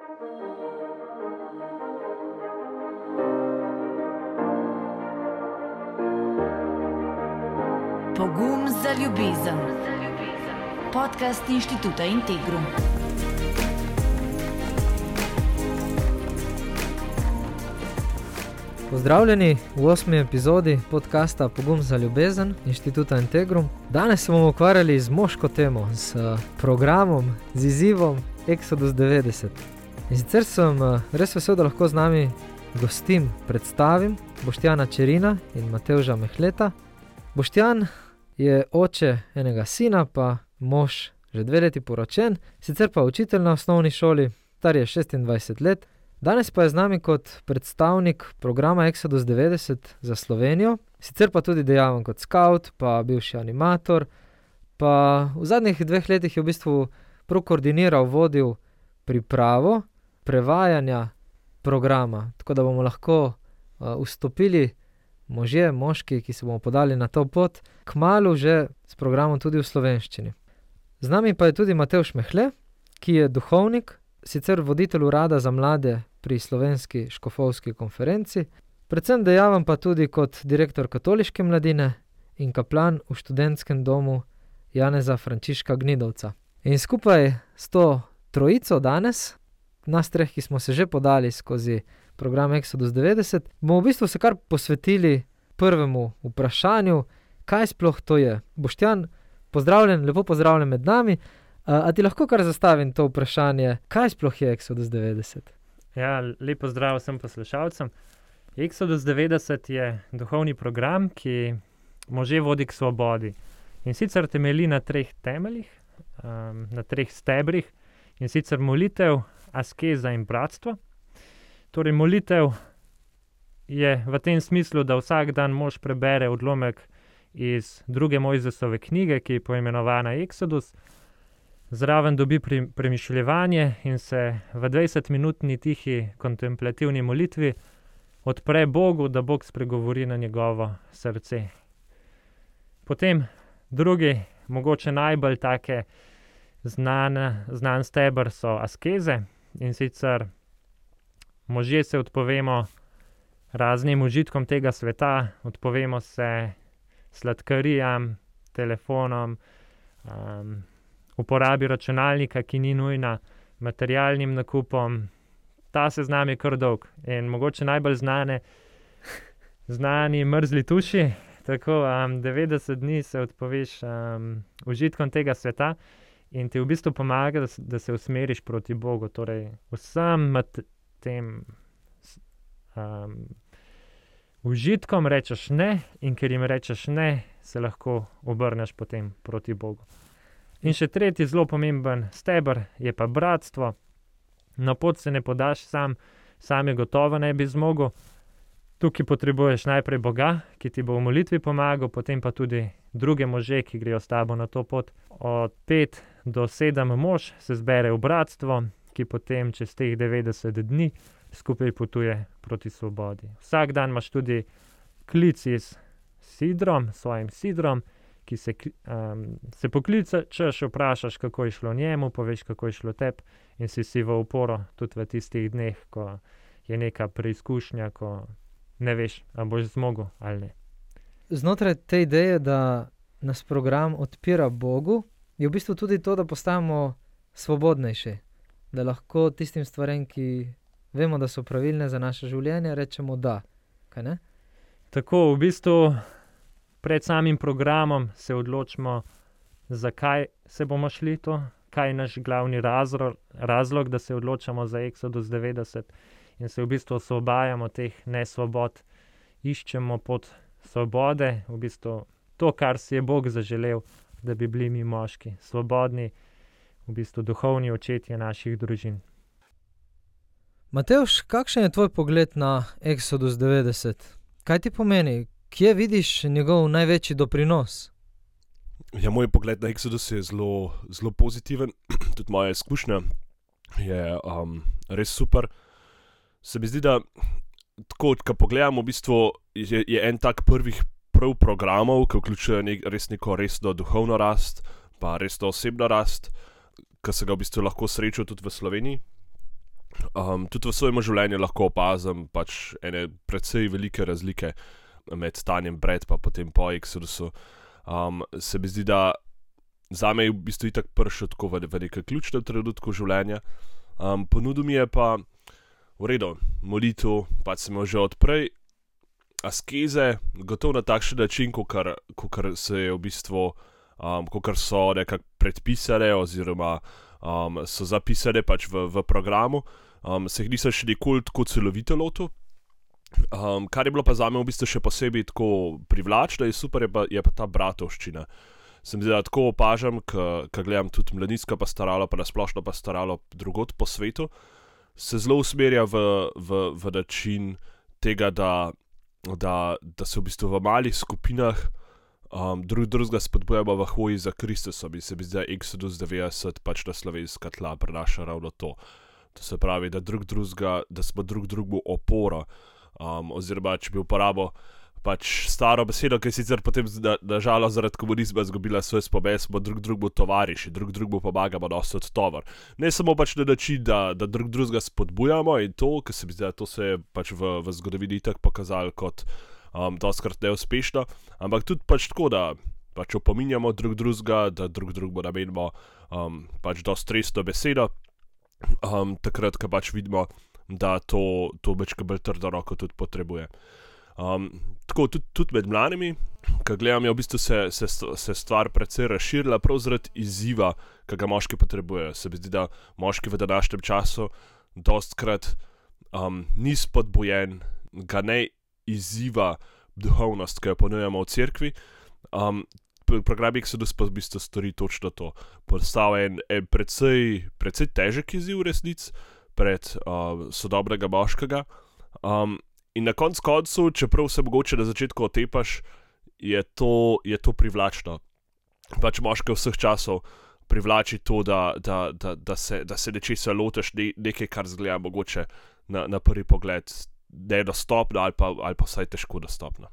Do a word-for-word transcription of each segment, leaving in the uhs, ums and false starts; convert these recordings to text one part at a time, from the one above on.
Pogum za ljubezen. Podcast Inštituta Integrum. Pozdravljeni v osmi epizodi podcasta Pogum za ljubezen Inštituta Integrum. Danes se bomo ukvarjali z moško temo, z programom, z izzivom Exodus devetdeset. In sicer sem res vesel, da lahko z nami gostim predstavim Boštjana Čerina in Matevža Mehleta. Boštjan je oče enega sina, pa mož že dve leti poročen, sicer pa učitelj na osnovni šoli, star je šestindvajset let. Danes pa je z nami kot predstavnik programa Exodus devetdeset za Slovenijo, sicer pa tudi dejaven kot scout, pa bivši animator, pa v zadnjih dveh letih je v bistvu prav koordiniral, vodil pripravo prevajanja programa, tako da bomo lahko uh, vstopili možje, moški, ki se bomo podali na to pot, kmalu že s programom tudi v slovenščini. Z nami pa je tudi Matevž Mehle, ki je duhovnik, sicer voditelj urada za mlade pri Slovenski škofovski konferenci, predvsem dejaven pa tudi kot direktor katoliške mladine in kaplan v študentskem domu Janeza Frančiška Gnidovca. In skupaj s to trojico danes, nas treh, ki smo se že podali skozi program Exodus devetdeset, bomo v bistvu se kar posvetili prvemu vprašanju, kaj sploh to je. Boštjan, pozdravljen, lepo pozdravljen med nami. A ti lahko kar zastavim to vprašanje, kaj sploh je Exodus devetdeset? Ja, lep pozdrav vsem poslušalcem. Exodus devetdeset je duhovni program, ki može vodi k svobodi. In sicer temelji na treh temeljih, um, na treh stebrih, in sicer molitev, askeza in bratstvo. Torej, molitev je v tem smislu, da vsak dan mož prebere odlomek iz druge Mojzesove knjige, ki je poimenovana Exodus, zraven dobi premišljevanje in se v dvajsetminutni tihi kontemplativni molitvi odpre Bogu, da Bog spregovori na njegovo srce. Potem drugi, mogoče najbolj take znan, znan steber so askeze, in sicer možje se odpovemo raznim užitkom tega sveta, odpovemo se sladkarijam, telefonom, um, uporabi računalnika, ki ni nujna, materialnim nakupom. Ta seznam je kar dolg in mogoče najbolj znane, znani mrzli tuši. Tako um, devetdeset dni se odpoveš um, užitkom tega sveta in ti v bistvu pomaga, da, da se usmeriš proti Bogu. Torej, vsem tem um, užitkom rečeš ne, in ker jim rečeš ne, se lahko obrneš potem proti Bogu. In še tretji zelo pomemben steber je pa bratstvo. Na pot se ne podaš sam, sam je gotovo ne bi zmogel. Tukaj potrebuješ najprej Boga, ki ti bo v molitvi pomagal, potem pa tudi druge može, ki grejo s tabo na to pot. Od pet do sedem mož se zbere v bratstvo, ki potem čez teh devetdeset dni skupaj potuje proti svobodi. Vsak dan imaš tudi klic s sidrom, svojim sidrom, ki se, um, se pokličeš, vprašaš, kako je šlo njemu, poveš, kako je šlo tebi in si si v uporo tudi v tistih dneh, ko je neka preizkušnja, ko ne veš, ali boš zmogel ali ne. Znotraj te ideje, da nas program odpira Bogu, je v bistvu tudi to, da postajamo svobodnejši, da lahko tistim stvarem, ki vemo, da so pravilne za naše življenje, rečemo da. Kaj ne? Tako, v bistvu pred samim programom se odločimo, zakaj se bomo šli to, kaj je naš glavni razlog, razlog, da se odločamo za Exodus devetdeset in se v bistvu osvobajamo teh nesvobod, iščemo pot svobode, v bistvu to, kar si je Bog zaželel, da bi bili mi moški, svobodni, v bistvu duhovni očetje naših družin. Matevž, kakšen je tvoj pogled na Exodus devetdeset? Kaj ti pomeni? Kje vidiš njegov največji doprinos? Ja, moj pogled na Exodus je zelo, zelo pozitiven. Tudi moja izkušnja je um, res super. Se mi zdi, da tako, ko pogledamo, v bistvu je, je en tak prvih prav programov, ki vključuje nek, res neko resno duhovno rast, pa resno osebno rast, ki se ga v bistvu lahko srečal tudi v Sloveniji. Um, tudi v svojem življenju lahko opazim pač ene precej velike razlike med stanjem pred pa potem po Exodusu. Um, se mi zdi, da zame je v bistvu itak prišel tako v, v nekaj ključnem trenutku življenja. Um, ponudil mi je pa v redu, molitev, pač sem jo že odprej, askeze, gotovo na takšen način, kakor, kakor se je v bistvu, um, kakor so nekako predpisane oziroma um, so zapisane pač v, v programu. Um, se jih nisem še nikoli tako celovito lotil. Um, kar je bilo pa zame v bistvu še posebej tako privlačno in super je pa, je pa ta bratovščina. Sem zdaj tako opažam, ko gledam tudi mladinsko pastoralo, pa nasplošno pastoralo drugod po svetu, se zelo usmerja v, v, v način tega, da, da, da se v bistvu v malih skupinah um, drug drugega spodbujamo v hoji za Kristusom in se mi zdi, da Exodus devetdeset pač na slovenska tla prenaša ravno to. To se pravi, da, drug drugega, da smo drug drugemu opora. Um, oziroma, če bi uporabil pač staro besedo, ki je sicer potem nažalost zaradi komunizma izgubila svoj spomen, smo drug drugemu tovariši, drug drugemu pomagamo nositi tovor. Ne samo pač na način, da, da drug drugega spodbujamo in to, ker se mi zdi, da to se je pač v, v zgodovini tako pokazalo kot um, doskrat neuspešno, ampak tudi pač tako, da pač opominjamo drug drugega, da drug drugemu namenimo um, pač dosti resno besedo, um, takrat, ko pač vidimo, da to, to večkrat bolj trdo roko tudi potrebuje. Um, tako tudi, tudi med mladimi, ko gledam, je v bistvu se, se, se stvar precej razširila, prav zaradi izziva, ki ga moški potrebujejo. Se mi zdi, da moški v današnjem času dostkrat um, ni spodbujen, ga ne izziva duhovnost, ki jo ponujamo v cerkvi. Um, program Exodus pa v bistvu stori točno to. Postavlja en, en precej, precej težek izziv resnic pred uh, sodobnega moškega. Um, in na koncu koncu, čeprav se mogoče na začetku otepaš, je to, je to privlačno. Pač moške vseh časov privlači to, da, da, da, da, se, da se nečesa lotiš, ne, nekaj, kar zgleda mogoče na, na prvi pogled nedostopno ali pa, ali pa vsaj težko dostopno.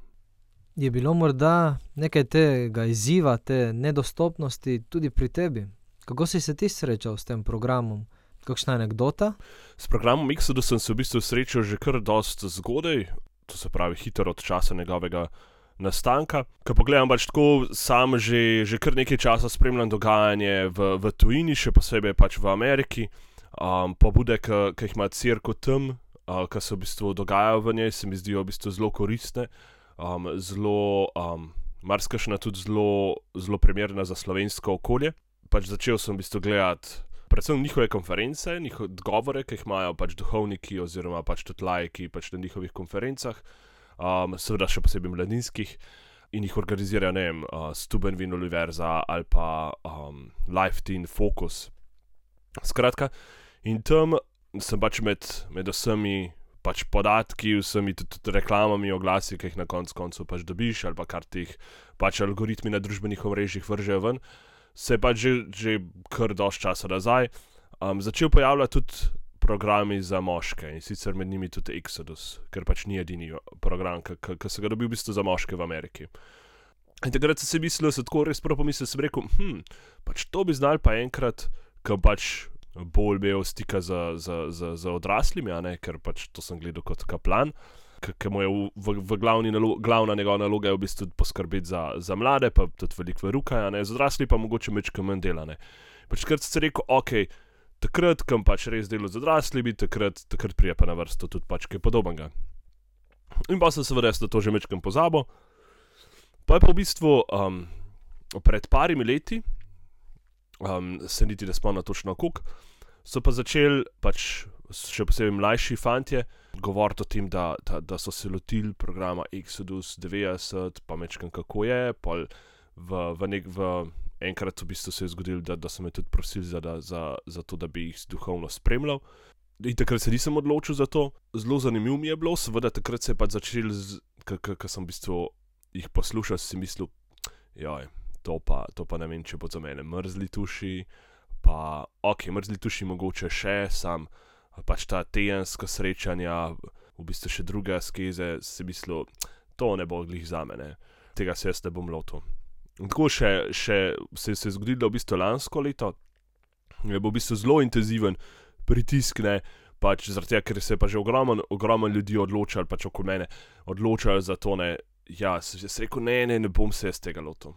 Je bilo morda nekaj tega izziva, te nedostopnosti tudi pri tebi? Kako si se ti srečal s tem programom? Kakšna anekdota? S programom Exodus sem se v bistvu srečal že kar dosti zgodaj, to se pravi hitro od časa njegovega nastanka. Ko pogledam pač tako, sam že, že kar nekaj časa spremljam dogajanje v, v tujini, še posebej pač v Ameriki. Um, pobude, ki jih ima cerkev tam, uh, ki se v bistvu dogajajo v njej, se mi zdijo v bistvu zelo koristne. Um, zelo, um, marsikakšna tudi zelo, zelo primerna za slovensko okolje. Pač začel sem v bistvu gledati predvsem njihove konference, njihove govore, ki jih imajo pač duhovniki oziroma pač tudi laiki pač na njihovih konferencah, um, seveda še posebej mladinskih, in jih organizirajo, ne vem, uh, Steubenville Univerza ali pa um, Life Teen Focus. Skratka, in tam sem pač med, med vsemi pač podatki, vsemi tudi, tudi reklamami, oglasi, ki jih na koncu koncu pač dobiš, ali pa kar ti jih pač algoritmi na družbenih omrežjih vržejo ven, se je pač že, že kar dosti časa nazaj um, začel pojavljati tudi programi za moške in sicer med njimi tudi Exodus, ker pač ni edini program, ki se ga dobil v bistvu za moške v Ameriki. In takrat sem si mislil, se tako res prvo pomislil, sem rekel, hm, pač to bi znal pa enkrat, ko pač bolj imel stika z, z, z, z odraslimi, a ne, ker pač to sem gledal kot kaplan, ki mu je v, v, v glavni nalo, glavna njegova naloga je v bistvu poskrbeti za, za mlade, pa tudi veliko veruka, ne, z odrasli pa mogoče mečko manj dela, ne. Pač takrat sem se rekel, ok, takrat, kam pač res delo z odraslimi, takrat, takrat prije pa na vrsto tudi pač kaj podobnega. In pa sem seveda to že mečkam pozabil. Pa je pa v bistvu um, pred parimi leti, um, se niti ne spomnim točno koliko, so pa začeli pač še posebej mlajši fantje govoriti o tem, da, da, da so se lotili programa Exodus devetdeset, pa mečkam kako je, pa v, v nek, v enkrat v bistvu se je zgodilo, da, da so me tudi prosili za, da, za, za to, da bi jih duhovno spremljal. In takrat se nisem odločil za to. Zelo zanimivo mi je bilo, seveda takrat se je pa začel, ko sem v bistvu jih poslušal, si mislil, joj, to pa, to pa ne vem, če bo za mene mrzli tuši, pa ok, mrzli tuši mogoče še, sam pač ta tedenska srečanja, v bistvu še druge askeze, si mislil, to ne bo glih za mene, tega se jaz ne bom lotil. In tako še, še se, se je zgodilo v bistvu lansko leto, je bil v bistvu zelo intenziven pritisk, ne, pač zaradi tega, ker se je pa že ogromen, ogromen ljudi odločali, pač okoli mene, odločali za to, ne, ja, sem jaz rekel, ne, ne, ne bom se jaz tega lotil.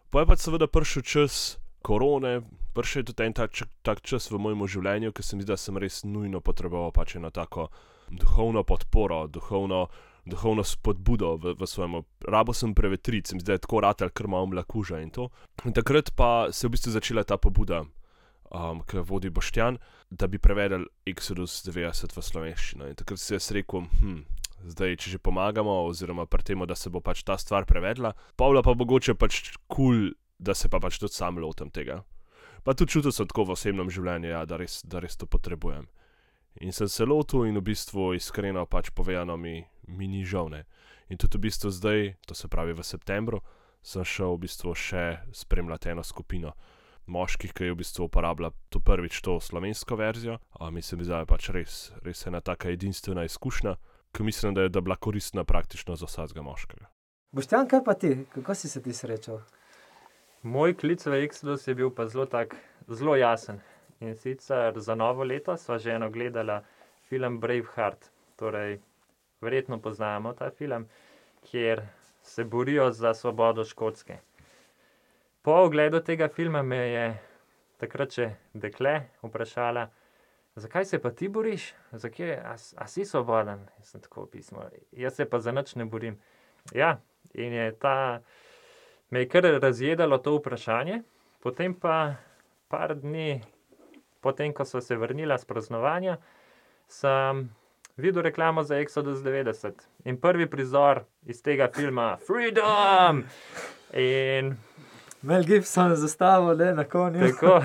Pa je pač seveda prišel čas korone, prišel je tudi en tak, tak čas v mojem življenju, ker se mi zdi, da sem res nujno potreboval pač eno tako duhovno podporo, duhovno, duhovno spodbudo v, v svojemu. Rabo sem prevetriti, se mi zdi, da je tako ratal, ker imam mlakuža in to. In takrat pa se je v bistvu začela ta pobuda, um, ki vodi Boštjan, da bi prevedel Exodus devetdeset v slovenščino. In takrat si jaz rekel, hm, zdaj, če že pomagamo, oziroma pri tem, da se bo pač ta stvar prevedla, Pavla pa mogoče pač kul, cool, da se pa pač tudi sam lotem tega. Pa tudi čutil sem tako v osebnem življenju, ja, da, res, da res to potrebujem. In sem se lotil in v bistvu iskreno pač povedano mi, mi ni žal, ne. In tudi v bistvu zdaj, to se pravi v septembru, sem šel v bistvu še spremljati eno skupino moških, ki je v bistvu uporabila to prvič to slovensko verzijo. A mislim, da je pač res, res ena taka edinstvena izkušnja, ki mislim, da je da bila koristna praktično za vsakega moškega. Boštjan, kaj pa ti? Kako si se ti srečal? Moj klic v Exodus je bil pa zelo tak, zelo jasen. In sicer za novo leto sva že eno gledala film Braveheart. Torej, verjetno poznamo ta film, kjer se borijo za svobodo Škotske. Po ogledu tega filma me je takrat še dekle vprašala, zakaj se pa ti boriš? Zakaj, a, a si svoboden? Jaz sem tako pismo. Jaz se pa za nič ne borim. Ja, in je ta, me je kar razjedalo to vprašanje. Potem pa par dni, potem ko so se vrnila s praznovanja, sem videl reklamo za Exodus devetdeset. In prvi prizor iz tega filma, Freedom! In Mel Gibson zastavil, ne, na konju. tako.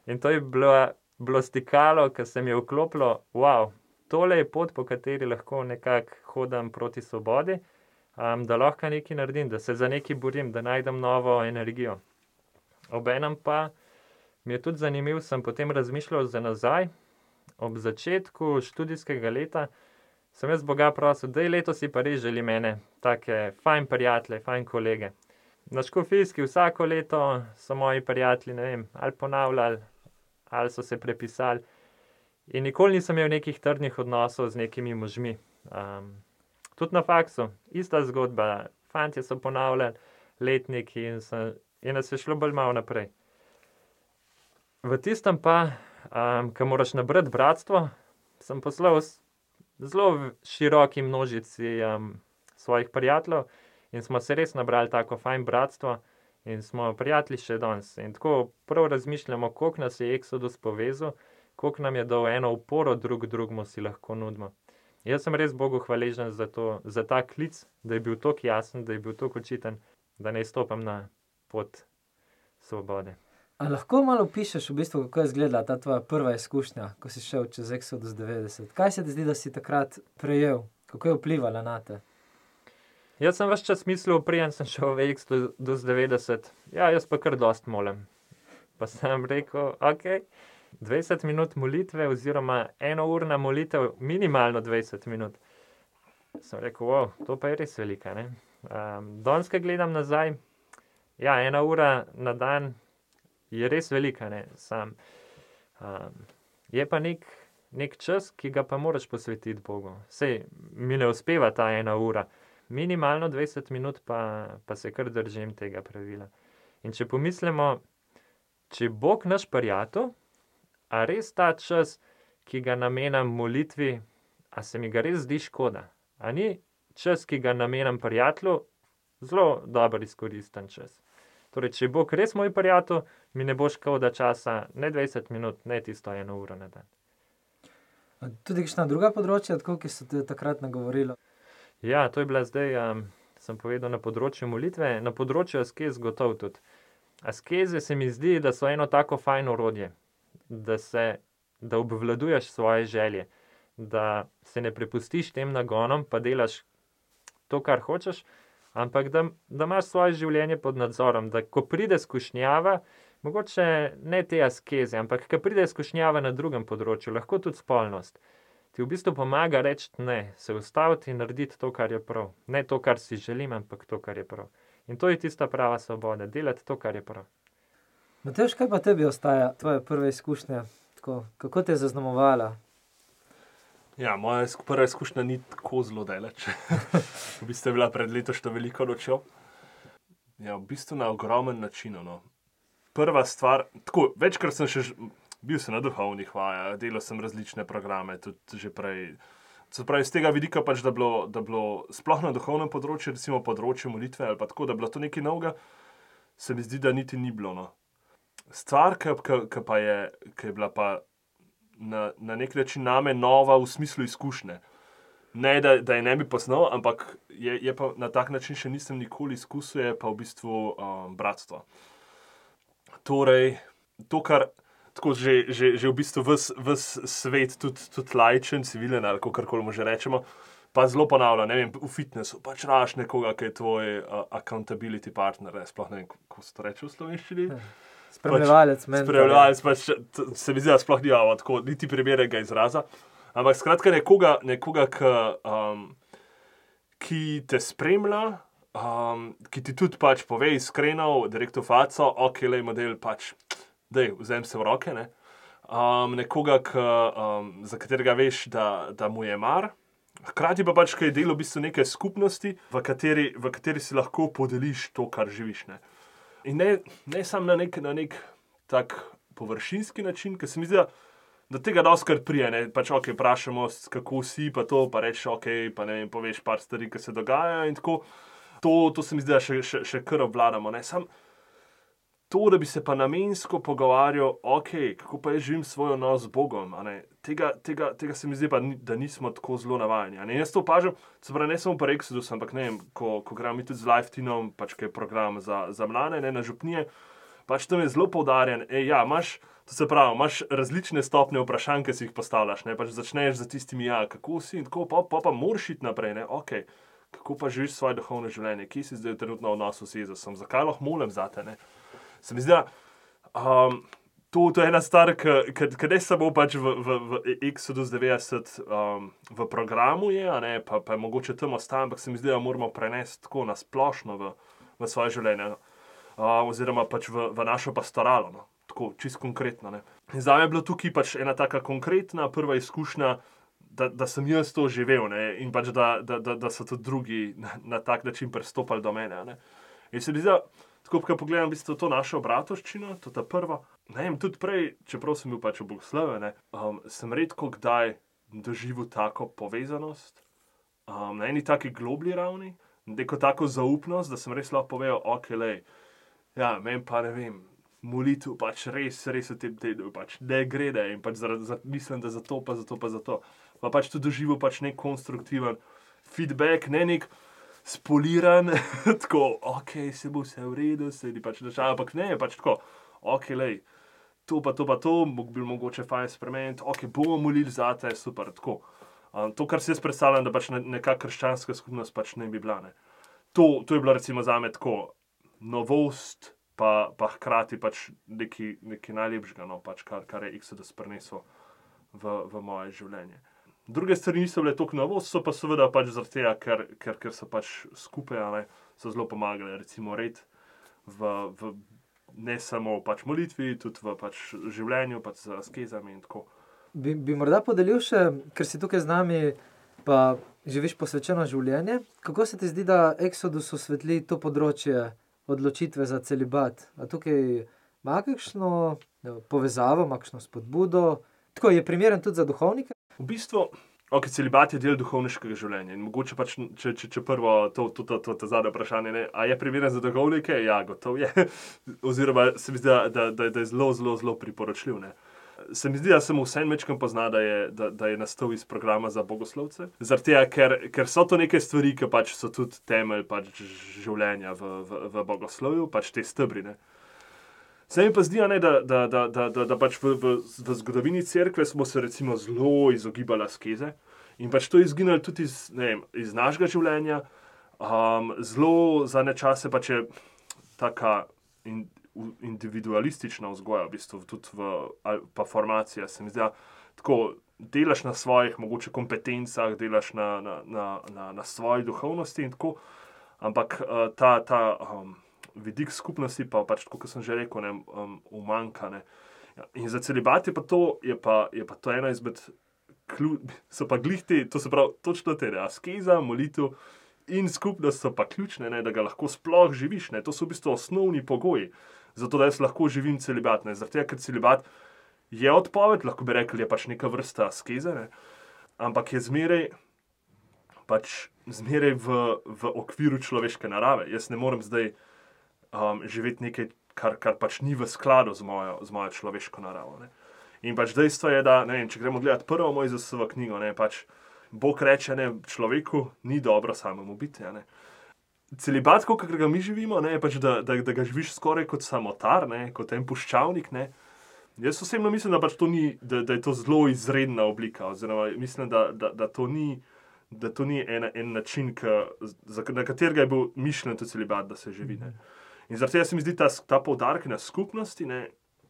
In to je bilo, bilo stikalo, ki se mi je vklopilo, wow, tole je pot, po kateri lahko nekako hodim proti svobodi, um, da lahko nekaj naredim, da se za nekaj borim, da najdem novo energijo. Obenem pa mi je tudi zanimiv, sem potem razmišljal za nazaj, ob začetku študijskega leta sem jaz Boga prosil, daj letos si pa res želi mene, take fajn prijatelje, fajn kolege. Na Škofijski vsako leto so moji prijatelji, ne vem, ali ponavljali, ali so se prepisali. In nikoli nisem imel nekih trdnih odnosov z nekimi možmi. Um, tudi na faksu, ista zgodba, fantje so ponavljali letniki in, sem, in nas je šlo bolj malo naprej. V tistem pa, um, ko moraš nabrati bratstvo, sem poslal zelo široki množici um, svojih prijateljev in smo se res nabrali tako fajn bratstvo in smo prijatelji še danes. In tako prav razmišljamo, koliko nas je Exodus povezal, koliko nam je dal eno uporo drug drugmu si lahko nudimo. Jaz sem res Bogu hvaležen za, to, za ta klic, da je bil toliko jasen, da je bil toliko očiten, da ne stopam na pot svobode. A lahko malo opišeš v bistvu, kako je izgledala ta tvoja prva izkušnja, ko si šel čez Exodus devetdeset? Kaj se ti zdi, da si takrat prejel? Kako je vplivala na te? Jaz sem ves čas mislil, preden sem šel v Exodus devetdeset, ja, jaz pa kar dost molim. Pa sem rekel, ok, dvajset minut molitve oziroma enourna molitev, minimalno dvajset minut. Sem rekel, wow, to pa je res velika, ne? Um, danes, ko gledam nazaj, ja, ena ura na dan je res velika, ne? Sam, um, je pa nek, nek čas, ki ga pa moraš posvetiti Bogu. Sej, mi ne uspeva ta ena ura. Minimalno dvajset minut pa, pa se kar držim tega pravila. In če pomislimo, če Bog naš prijatelj, a res ta čas, ki ga namenam molitvi, a se mi ga res zdi škoda? A ni čas, ki ga namenam prijatelju, zelo dober izkoristen čas? Torej, če Bog res moj prijatelj, mi ne bo škoda časa, ne dvajset minut, ne tisto eno uro na dan. Tudi kakšna druga področja, tako, ki so te takrat nagovorila? Ja, to je bila zdaj, um, sem povedal, na področju molitve, na področju askez gotov tudi. Askeze se mi zdi, da so eno tako fajn orodje, da se, da obvladuješ svoje želje, da se ne prepustiš tem nagonom, pa delaš to, kar hočeš, ampak da, da imaš svoje življenje pod nadzorom, da ko pride skušnjava, mogoče ne te askeze, ampak ko pride skušnjava na drugem področju, lahko tudi spolnost, ti v bistvu pomaga reči ne, se ustaviti in narediti to, kar je prav. Ne to, kar si želim, ampak to, kar je prav. In to je tista prava svoboda, delati to, kar je prav. Matevž, kaj pa tebi ostaja tvoje prve izkušnje tako, kako te je zaznamovala? Ja, moja prva izkušnja ni tako zelo daleč. V bistvu je bila pred letošnjo veliko nočjo. Ja, v bistvu na ogromen način. No. Prva stvar, tako, večkrat sem še bil sem na duhovnih vajah, delal sem različne programe, tudi že prej. Se pravi, z tega vidika pač, da bilo, da bilo sploh na duhovnem področju, recimo področju molitve ali pa tako, da bilo to nekaj novega, se mi zdi, da niti ni bilo. No. Stvar, ki pa je, ki je bila pa na, na nek način name nova v smislu izkušnje. Ne, da, da je ne bi poznal, ampak je, je pa na tak način še nisem nikoli izkusil, je pa v bistvu um, bratstvo. Torej, to, kar tako že, že, že v bistvu ves, ves svet, tudi, tudi laičen, civilen ali kakorkoli mu že rečemo, pa zelo ponavlja, ne vem, v fitnessu, pač raš nekoga, ki je tvoj uh, accountability partner, ne, sploh ne vem, kako se to reče v slovenščini. Spremljevalec, pač, spremljevalec, pač, se mi zdi, da sploh nimamo tako niti primernega izraza. Ampak skratka nekoga, nekoga ki, um, ki te spremlja, um, ki ti tudi pač pove iskreno, direktno faco, ok, lej model, pač, dej, vzem se v roke, ne. Um, nekoga, ki, um, za katerega veš, da, da mu je mar. Hkrati pa pač, ki je del v bistvu neke skupnosti, v kateri, v kateri si lahko podeliš to, kar živiš, ne. In ne, ne samo na nek, na nek tak površinski način, ker se mi zdi, da, da tega doskrat prije, ne, pač ok, vprašamo, kako si, pa to, pa reči ok, pa ne vem, poveš par stvari, ki se dogajajo in tako. To, to se mi zdi, da še, še, še kar obvladamo, ne, sam to, da bi se pa namensko pogovarjal, ok, kako pa jaz živim svoj odnos z Bogom, a ne, tega, tega, tega se mi zdi pa, da nismo tako zelo navajeni, a ne, jaz to opažam, se pravi, ne samo pa Exodus, ampak ne vem, ko, ko gremo mi tudi z Life Teamom, pač kaj je program za, za mlade, ne, na župnije, pač tam je zelo poudarjen, ej, ja, imaš, to se pravi, imaš različne stopnje vprašanj, ki si jih postavljaš, ne, pač začneš za tistimi, ja, kako si in tako, pa, pa, pa moraš iti naprej, ne, ok, kako pa živiš svoje duhovno življenje, kje si zdaj trenutno v odnosu s Jezusom, zakaj lahko molim zate, ne. Se mi zdi, da um, to, to je ena stvar, ki ne samo pač v, v, v Exodus devetdeset um, v programu je, a ne, pa, pa je mogoče tam ostane, ampak se mi zdi, da moramo prenesti tako na splošno v, v svoje življenje, uh, oziroma pač v, v našo pastoralo, no, tako čisto konkretno. Ne. In zame je bila tukaj pač ena taka konkretna prva izkušnja, da, da sem jaz to živel, ne, in pač da, da, da, da so tudi drugi na, na tak način pristopali do mene. Ne. In se mi zdi, da tako, ko pogledam v bistvu to našo bratovščino, to ta prva, ne vem, tudi prej, čeprav sem bil pač v Bogoslovu, ne, um, sem redko kdaj doživel tako povezanost, um, na eni taki globlji ravni, neko tako zaupnost, da sem res lahko povedal, ok, lej, ja, meni pa ne vem, molitev pač res, res v tem tednu, pač ne gre, ne, in pač zaradi, za, mislim, da za to, pa za to, pa za to. Pa pač tudi doživel pač nek konstruktiven feedback, ne nek spoliran, tako, ok, se bo vse v redu, se ni pač držal, ampak ne, pač tako, ok, lej, to pa to pa to, bi bil mogoče fajn spremeniti, ok, bomo molili zate, super, tako. Um, to, kar si jaz predstavljam, da pač neka krščanska skupnost pač ne bi bila, ne. To, to je bilo recimo zame tako novost, pa, pa hkrati pač nekaj, nekaj najlepšega, no, pač kar, kar je Exodus prinesel v, v moje življenje. Druge stvari niso bile toliko novost, so pa seveda pač zaradi tega, ker, ker, ker so pač skupaj, ne, so zelo pomagali, recimo red v, v ne samo pač molitvi, tudi v pač življenju, pač z askezami in tako. Bi, bi morda podelil še, ker si tukaj z nami, pa živiš posvečeno življenje, kako se ti zdi, da Exodus osvetli to področje odločitve za celibat? A tukaj ima kakšno povezavo, ima kakšno spodbudo? Tako je primeren tudi za duhovnike? V bistvu, ok, celibat je del duhovniškega življenja in mogoče pač, če, če, če prvo to, to, to, to, to zadnje vprašanje, ne, a je primeren za duhovnike? Ja, gotov je. Oziroma se mi zdi, da, da, da, da je zelo, zelo, zelo priporočljiv, ne. Se mi zdi, da sem vsem večkrat pozna, da je, da, da je nastal iz programa za bogoslovce. Zaradi tega, ker, ker so to neke stvari, ki pač so tudi temelj pač življenja v, v, v bogoslovju, pač te stebri, ne. Se mi pa zdi, ne, da, da, da, da, da, da pač v, v, v zgodovini cerkve smo se recimo zelo izogibali askeze in pač to je izginilo tudi iz, ne vem, iz našega življenja. Um, zelo za nečase pač je taka in, individualistična vzgoja, v bistvu tudi v, pa formacija, se mi zdi, tako delaš na svojih mogoče kompetencah, delaš na, na, na, na, na svoji duhovnosti in tako, ampak uh, ta, ta um, vidik skupnosti pa pač, tako kot sem že rekel, ne, um, umanjka, ne. Ja, in za celibat je pa to, je pa, je pa to ena izmed, klju, so pa glihti, to se pravi, točno te, ne, askeza, molitev in skupnost so pa ključne, ne, da ga lahko sploh živiš, ne, to so v bistvu osnovni pogoji, zato da jaz lahko živim celibat, ne, zaradi tega, ker celibat je odpoved, lahko bi rekli, je pač neka vrsta askeze, ne, ampak je zmeraj, pač zmeraj v, v okviru človeške narave. Jaz ne morem zdaj um, živeti nekaj, kar, kar pač ni v skladu z mojo, z mojo človeško naravo, ne. In pač dejstvo je, da, ne vem, če gremo gledati prvo Mojzesovo knjigo, ne, pač Bog reče, ne, človeku ni dobro samemu biti, ja, ne. Celibat, kot ga mi živimo, ne, je pač, da, da, da ga živiš skoraj kot samotar, ne, kot en puščavnik, ne. Jaz osebno mislim, da pač to ni, da, da je to zelo izredna oblika, oziroma mislim, da, da, da to ni, da to ni en, en način, ka, za, na katerega je bil mišljen to celibat, da se živi, ne. In zaradi tega se mi zdi ta, ta poudarek na skupnosti, ne,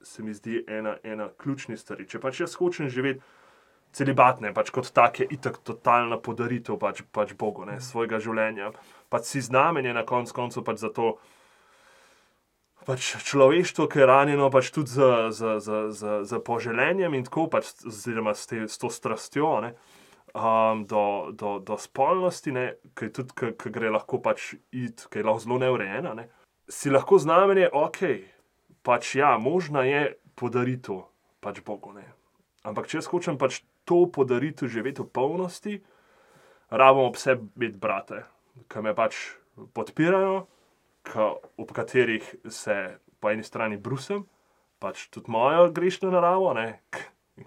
se mi zdi ena, ena ključni stvari. Če pač jaz hočem živeti celibat, ne, pač kot tak je itak totalna podaritev pač, pač Bogu, ne, svojega življenja, pač si znamenje na konc koncu pač za to, pač človeštvo, ki je ranjeno pač tudi z, z, z, z, z poželenjem in tako, pač oziroma s, te, s to strastjo, ne, um, do, do, do spolnosti, ne, ki tudi, ki, ki gre lahko pač iti, ki je lahko zelo neurejena, ne, si lahko znamenje, ok, pač ja, možna je podaritev pač Bogu, ne. Ampak če jaz hočem pač to podaritev živeti v polnosti, rabim ob sebi imeti brate, ki me pač podpirajo, ki, ob katerih se po eni strani brusim, pač tudi mojo grešno naravo, ne,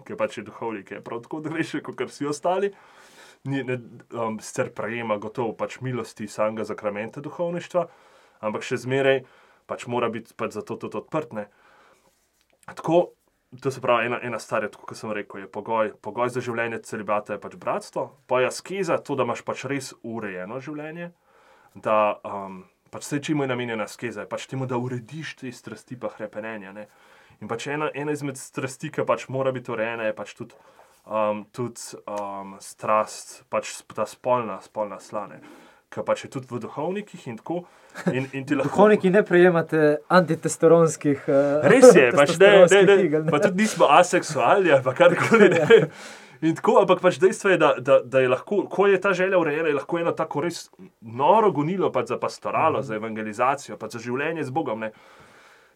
ki pač je duhovnik, ki je prav tako grešen, kot vsi ostali, ni, ne, um, sicer prejema gotovo pač milosti samega zakramenta duhovništva, ampak še zmeraj pač mora biti pač za to tudi odprt, ne. Tako, to se pravi, ena, ena stvar je, tako kot sem rekel, je pogoj, pogoj za življenje celibata je pač bratstvo, pa je askeza, to, da imaš pač res urejeno življenje, da um, pač vse, čemu je namenjena askeza, je pač temu, da urediš te strasti pa hrepenenja, ne. In pač ena, ena izmed strasti, ki pač mora biti urejena, je pač tudi, um, tudi um, strast, pač ta spolna, spolna sla, ne. Ki pač je tudi v duhovnikih in tako. In, in ti lahko... Duhovniki ne prejemate antitestosteronskih uh, res je, pač ne, ne, ne, igel, ne, pa tudi nismo aseksualni ali pa karkoli, ne. In tako, ampak pač dejstvo je, da, da, da je lahko, ko je ta želja urejena, je lahko eno tako res noro gonilo pač za pastoralo, mm. za evangelizacijo, pač za življenje z Bogom, ne.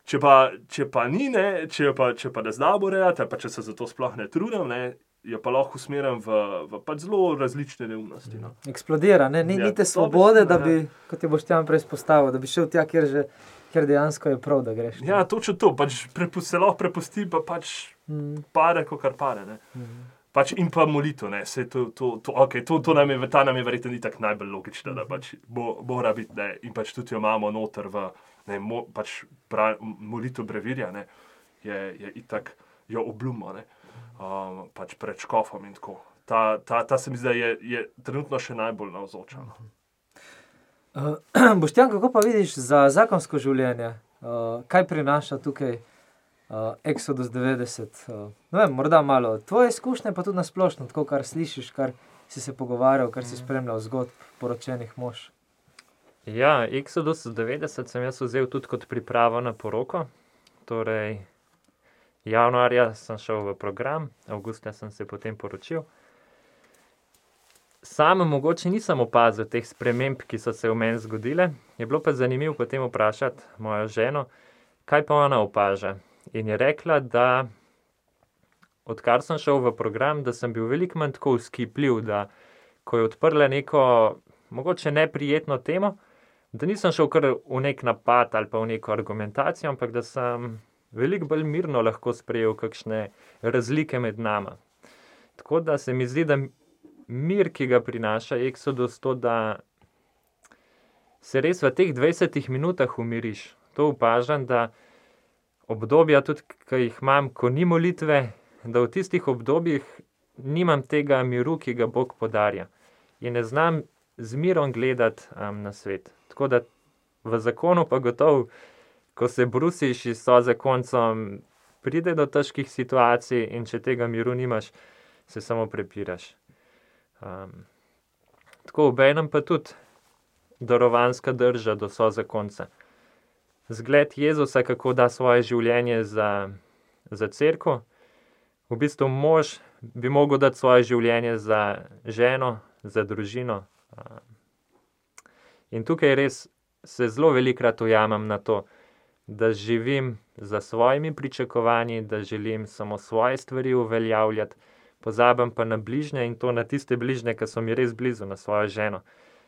Če pa, če pa ni, ne, če pa, če pa ne znam urejati, pa če se za to sploh ne trudim, ne, jo pa lahko usmerjam v, v pač zelo različne neumnosti. No. Eksplodira, ne? Ni, ja, ni te svobode, da bi, kot je Boštjan prej izpostavil, da bi šel tja, kjer, že, kjer dejansko je prav, da greš. Ne? Ja, točno to, pač prepu, se lahko prepusti, pa pač mm. pare, kakor pare. Ne? Mm. Pač in pa molitev, ne, se to, to, to, okay, to, to nam je, ta nam je verjetno ni tako najbolj logična, da pač bo, mora biti, ne, in pač tudi jo imamo noter v, ne, mo, pač bra, molitev brevirja, ne, je, je itak jo obljumo, ne. Um, pač pred škofom in tako. Ta, ta, ta se mi zdaj je, je trenutno še najbolj navzoča. Uh, Boštjan, kako pa vidiš za zakonsko življenje? Uh, kaj prinaša tukaj uh, Exodus devetdeset? Uh, no vem, morda malo tvoje izkušnje, pa tudi na splošno, tako kar slišiš, kar si se pogovarjal, kar si spremljal zgodb poročenih mož. Ja, Exodus devetdeset sem jaz vzel tudi kot pripravo na poroko. Torej, januarja sem šel v program, avgusta sem se potem poročil. Sam mogoče nisem opazil teh sprememb, ki so se v meni zgodile. Je bilo pa zanimivo potem vprašati mojo ženo, kaj pa ona opaža. In je rekla, da odkar sem šel v program, da sem bil veliko manj tako vzkipljiv, da ko je odprla neko mogoče neprijetno temo, da nisem šel kar v nek napad ali pa v neko argumentacijo, ampak da sem veliko bolj mirno lahko sprejel kakšne razlike med nama. Tako da se mi zdi, da mir, ki ga prinaša Exodus, to, da se res v teh dvajsetih minutah umiriš. To opažam, da obdobja tudi, ki jih imam, ko ni molitve, da v tistih obdobjih nimam tega miru, ki ga Bog podarja. In ne znam z mirom gledati um, na svet. Tako da v zakonu pa gotovo, ko se brusiš in so za koncem, pride do težkih situacij in če tega miru nimaš, se samo prepiraš. Um, tako obenem pa tudi darovanska drža do so za konca. Zgled Jezusa, kako da svoje življenje za, za cerkev. V bistvu mož bi mogel dati svoje življenje za ženo, za družino. In tukaj res se zelo velikokrat ujamem na to, da živim za svojimi pričakovanji, da želim samo svoje stvari uveljavljati, pozabim pa na bližnje in to na tiste bližnje, ki so mi res blizu, na svojo ženo.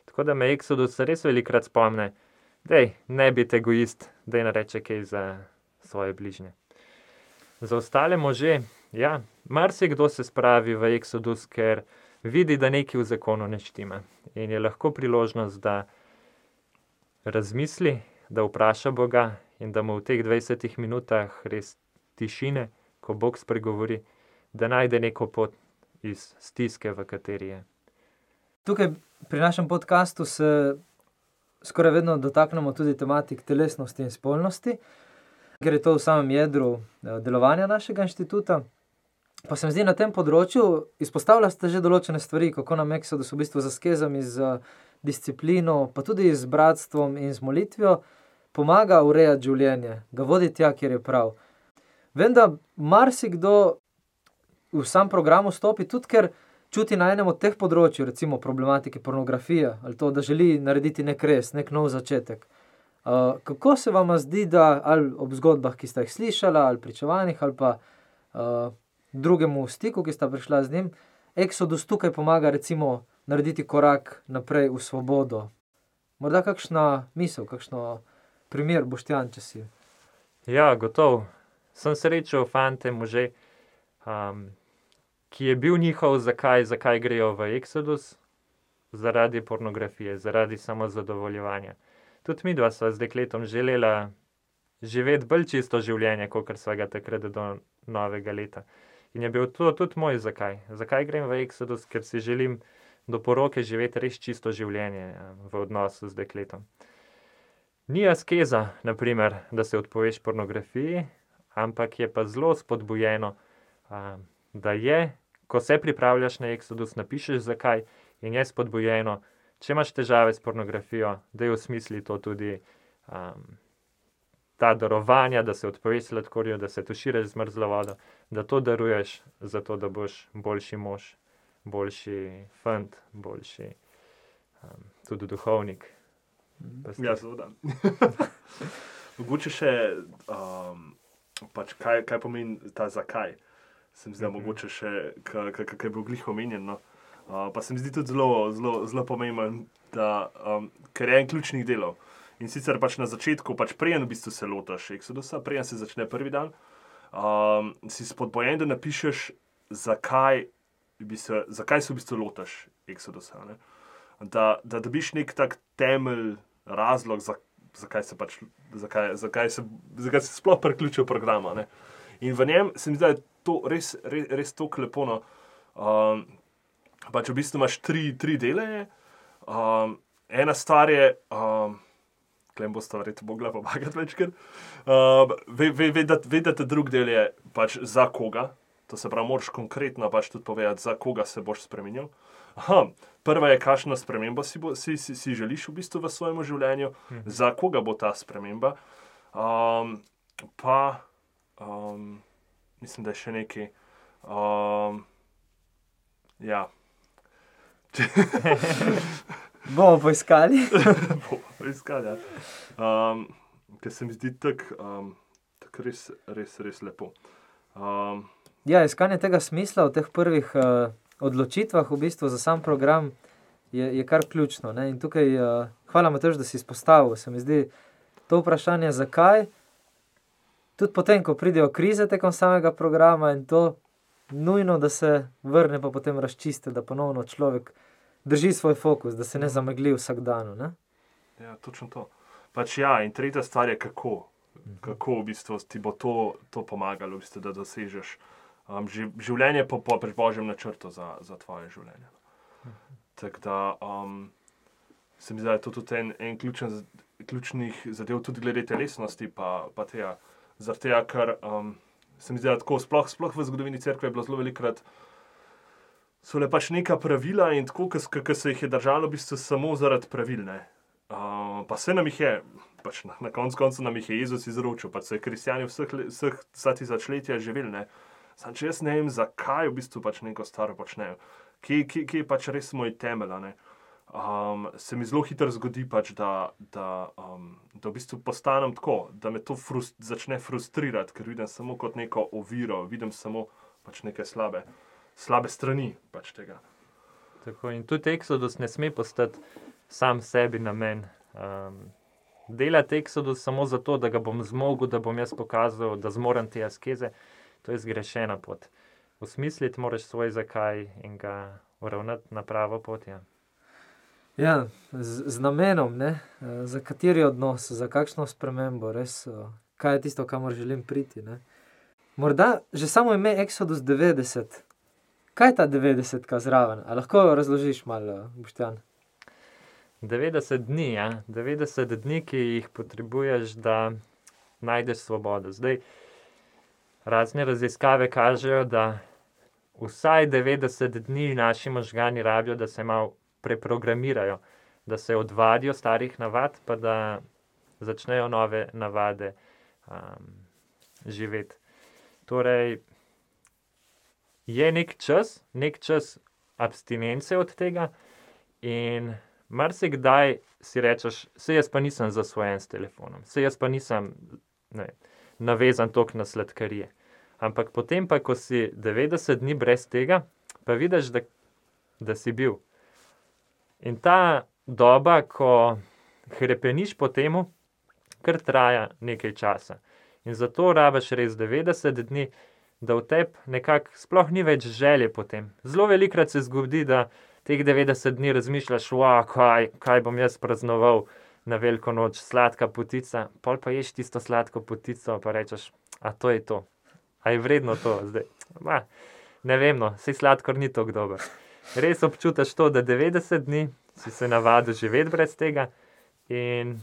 Tako da me Exodus res velikokrat spomne, dej, ne biti egoist, dej nareče kaj za svoje bližnje. Za ostale može, ja, marsikdo se spravi v Exodus, ker vidi, da nekaj v zakonu ne štima. In je lahko priložnost, da razmisli, da vpraša Boga in da mu v teh dvajsetih minutah res tišine, ko Bog spregovori, da najde neko pot iz stiske, v kateri je. Tukaj pri našem podcastu se skoraj vedno dotaknemo tudi tematik telesnosti in spolnosti, ker je to v samem jedru delovanja našega inštituta. Pa se mi zdi, na tem področju izpostavlja ste že določene stvari, kako nam Exodus v bistvu z askezami, z disciplino, pa tudi z bratstvom in z molitvijo pomaga urejati življenje, ga vodi tja, kjer je prav. Vem, da marsikdo v sam program vstopi tudi, ker čuti na enem od teh področju, recimo problematike pornografije, ali to, da želi narediti nek res, nek nov začetek. Uh, kako se vam zdi, da ali ob zgodbah, ki ste jih slišala, ali pričevanjih, ali pa uh, drugemu stiku, ki sta prišla z njim, Exodus tukaj pomaga recimo narediti korak naprej v svobodo? Morda kakšna misel, kakšno primer, Boštjan, če si? Ja, gotovo. Sem srečal fante, može, um, ki je bil njihov zakaj, zakaj grejo v Exodus, zaradi pornografije, zaradi samozadovoljevanja. Tudi mi dva sva z dekletom želela živeti bolj čisto življenje, kakor sva ga takrat do novega leta. In je bil to tudi moj zakaj. Zakaj grem v Exodus? Ker si želim do poroke živeti res čisto življenje v odnosu z dekletom. Ni askeza, na primer, da se odpoveš pornografiji, ampak je pa zelo spodbujeno, da je, ko se pripravljaš na Exodus, napišeš zakaj, in je spodbujeno, če imaš težave s pornografijo, da je v smisli to tudi um, ta darovanja, da se odpoveš sladkorju, da se tuširaš z mrzlo vodo, da to daruješ, zato da boš boljši mož, boljši fant, boljši um, tudi duhovnik. Ja, seveda. Mogoče še, um, pač kaj, kaj pomeni ta zakaj. Se mi zdi, mm-hmm. mogoče še, kaj je bil glih omenjen. No? Uh, pa se mi zdi tudi zelo, zelo, zelo pomemben, da, um, ker je en ključnih delov. In sicer pač na začetku, pač preden v bistvu se lotaš Exodusa, preden se začne prvi dan, um, si spodbojen, da napišeš, zakaj, bi se, zakaj se v bistvu lotaš Exodusa. Ne? Da, da dobiš nek tak temelj, razlog, za, zakaj, se pač, zakaj, zakaj, se, zakaj se sploh priključil programa. Ne? In v njem se mi zdi, da je to res, res, res toliko lepo. No. Um, pač v bistvu imaš tri, tri dele. Um, ena stvar je, um, klem boste verjetno mogla pomagati večkrat, um, vedeti, ve, da ta drug del je pač za koga. To se pravi, moraš konkretno pač tudi povedati, za koga se boš spremenil. Aha, prva je, kakšno spremembo si, bo, si, si, si želiš v bistvu v svojem življenju, mhm. za koga bo ta sprememba. Um, pa, um, mislim, da je še nekaj. Um, ja. Bomo poiskali. Bomo poiskali, ja. Um, ker se mi zdi tako um, tak res, res, res lepo. Um, ja, iskanje tega smisla v teh prvih uh, odločitvah v bistvu za sam program je, je kar ključno. Ne? In tukaj, uh, hvala Matevž, da si izpostavil. Se mi zdi to vprašanje, zakaj, tudi potem, ko pridejo krize tekom samega programa in to nujno, da se vrne pa potem razčiste, da ponovno človek drži svoj fokus, da se ne zamegli vsak dan. Ne? Ja, točno to. Pač ja, in tretja stvar je kako. Kako v bistvu ti bo to, to pomagalo, v bistvu, da dosežeš um, življenje po, po Božjem načrtu za, za tvoje življenje. Tako da um, se mi zdi, da je to tudi en, en ključen, ključnih zadev, tudi glede telesnosti, pa, pa tega. Zaradi tega, ker um, se mi zdi, da tako sploh, sploh v zgodovini cerkve je bilo zelo velikrat, so le pač neka pravila in tako, ki se jih je držalo v bistvu samo zaradi pravil. Ne? Uh, pa se nam jih je pač na, na koncu koncu nam jih je Jezus izročil, pač so kristjani vseh, vseh tisočletja živeli, ne. Sam če jaz ne vem, zakaj v bistvu pač neko staro počnejo, kje, kje, kje je pač res moj temelj, ne. Um, se mi zelo hitro zgodi pač, da, da, um, da v bistvu postanem tako, da me to frust, začne frustrirati, ker vidim samo kot neko oviro, vidim samo pač neke slabe, slabe strani pač tega. Tako, in tudi Exodus ne sme postati sam sebi namen. Um, delati Exodus samo zato, da ga bom zmogel, da bom jaz pokazal, da zmorem te askeze, to je zgrešena pot. Osmisliti moraš svoj zakaj in ga uravnati na pravo pot, ja. Ja, z, z namenom, ne, za kateri odnos, za kakšno spremembo, res, kaj je tisto, kamor želim priti, ne. Morda že samo ime Exodus devetdeset, kaj je ta devetdesetka zraven, a lahko razložiš malo, Boštjan? devetdeset dni, ja, devetdeset dni, ki jih potrebuješ, da najdeš svobodo. Zdaj, razne raziskave kažejo, da vsaj devetdeset dni naši možgani rabijo, da se malo preprogramirajo, da se odvadijo starih navad, pa da začnejo nove navade um, živeti. Torej, je nek čas, nek čas abstinence od tega in marsikdaj si rečeš, saj jaz pa nisem zasvojen s telefonom, saj jaz pa nisem ne, navezan toliko na sladkarije. Ampak potem pa, ko si devetdeset dni brez tega, pa vidiš, da, da si bil. In ta doba, ko hrepeniš po temu, kar traja nekaj časa. In zato rabiš res devetdeset dni, da v tebi nekako sploh ni več želje po tem. Zelo velikrat se zgodi, da teh devetdeset dni razmišljaš, wow, kaj, kaj bom jaz praznoval na veliko noč, sladka potica, pol pa ješ tisto sladko potico, pa rečeš, a to je to. A je vredno to zdaj? Ma, ne vem, no, saj sladkor ni tako dober. Res občutiš to, da devetdeset dni si se navadil živeti brez tega in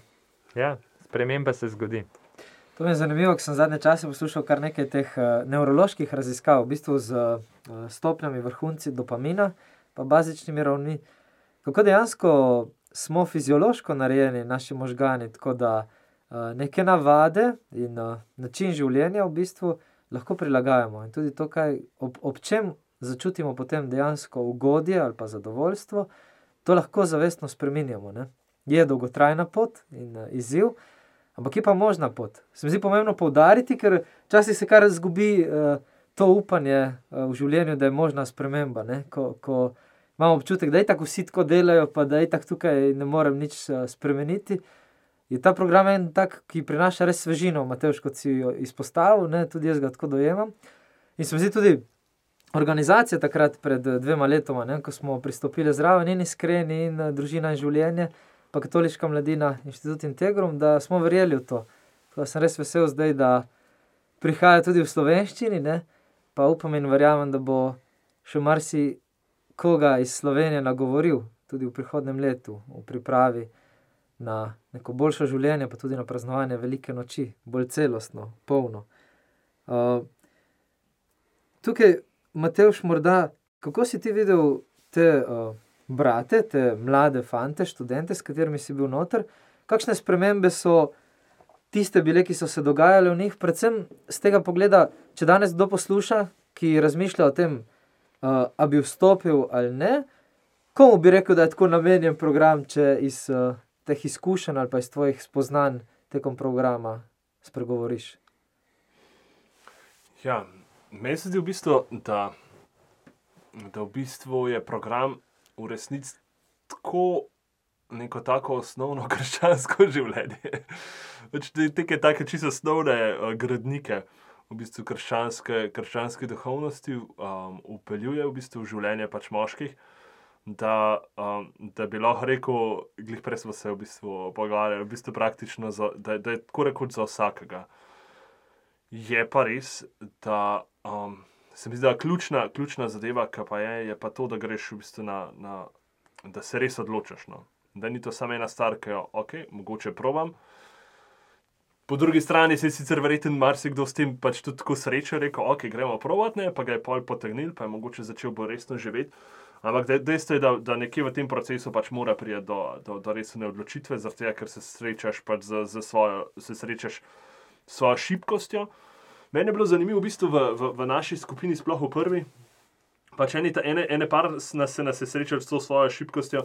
ja, sprememba se zgodi. To mi je zanimivo, ko sem zadnje čase poslušal kar nekaj teh uh, nevroloških raziskav, v bistvu z uh, stopnjami vrhunci dopamina, pa bazičnimi ravni. Kako dejansko smo fiziološko narejeni, naši možgani, tako da uh, neke navade in uh, način življenja v bistvu lahko prilagajamo. In tudi to, kaj ob, ob čem začutimo potem dejansko ugodje ali pa zadovoljstvo, to lahko zavestno spreminjamo, ne. Je dolgotrajna pot in uh, izziv, ampak je pa možna pot. Se mi zdi pomembno poudariti, ker včasih se kar izgubi uh, to upanje uh, v življenju, da je možna sprememba, ne. Ko, ko imamo občutek, da itak vsi tako delajo, pa da itak tukaj ne morem nič uh, spremeniti, je ta program en tak, ki prinaša res svežino, Matevž, kot si jo izpostavil, ne, tudi jaz ga tako dojemam. In se mi zdi tudi organizacija takrat pred dvema letoma, ne, ko smo pristopili zraven in Iskreni in Družina in življenje, pa Katoliška mladina, Inštitut Integrum, da smo verjeli v to. Tako sem res vesel zdaj, da prihaja tudi v slovenščini, ne, pa upam in verjamem, da bo še marsi koga iz Slovenije nagovoril tudi v prihodnem letu, v pripravi na neko boljše življenje, pa tudi na praznovanje velike noči, bolj celostno, polno. Uh, tukaj, Matevž, morda, kako si ti videl te uh, brate, te mlade fante, študente, s katerimi si bil noter, kakšne spremembe so tiste bile, ki so se dogajale v njih, predvsem z tega pogleda, če danes kdo posluša, ki razmišlja o tem, uh, a bi vstopil ali ne, komu bi rekel, da je tako namenjen program, če iz uh, teh izkušenj ali pa iz tvojih spoznanj tekom programa spregovoriš? Ja, meni se zdi v bistvu, da, da v bistvu je program v resnici tako neko tako osnovno krščansko življenje. Teke take čisto osnovne uh, gradnike v bistvu krščanske, krščanske duhovnosti um, upeljuje v bistvu v življenje pač moških, da, um, da bi lahko rekel, glih prej smo se v bistvu pogovarjali, v bistvu praktično, za, da, da je tako rekoč za vsakega. Je pa res, da um, se mi zdi, da ključna, ključna zadeva, ki pa je, je pa to, da greš v bistvu na, na da se res odločaš, no. Da ni to samo ena stvar, ki jo, ok, mogoče probam. Po drugi strani se je sicer verjetno marsikdo s tem pač tudi tako srečo rekel, ok, gremo provat, ne, pa ga je pol potegnil, pa je mogoče začel bolj resno živeti. Ampak dejstvo je, da, da nekje v tem procesu pač mora priti do, do, do resne odločitve, zato ker se srečaš pač z, z svojo, se srečaš s svojo šibkostjo. Meni je bilo zanimivo v bistvu v, v, v naši skupini, sploh v prvi. Pač ene, ene, ene par nas se nas je srečal s to svojo šibkostjo,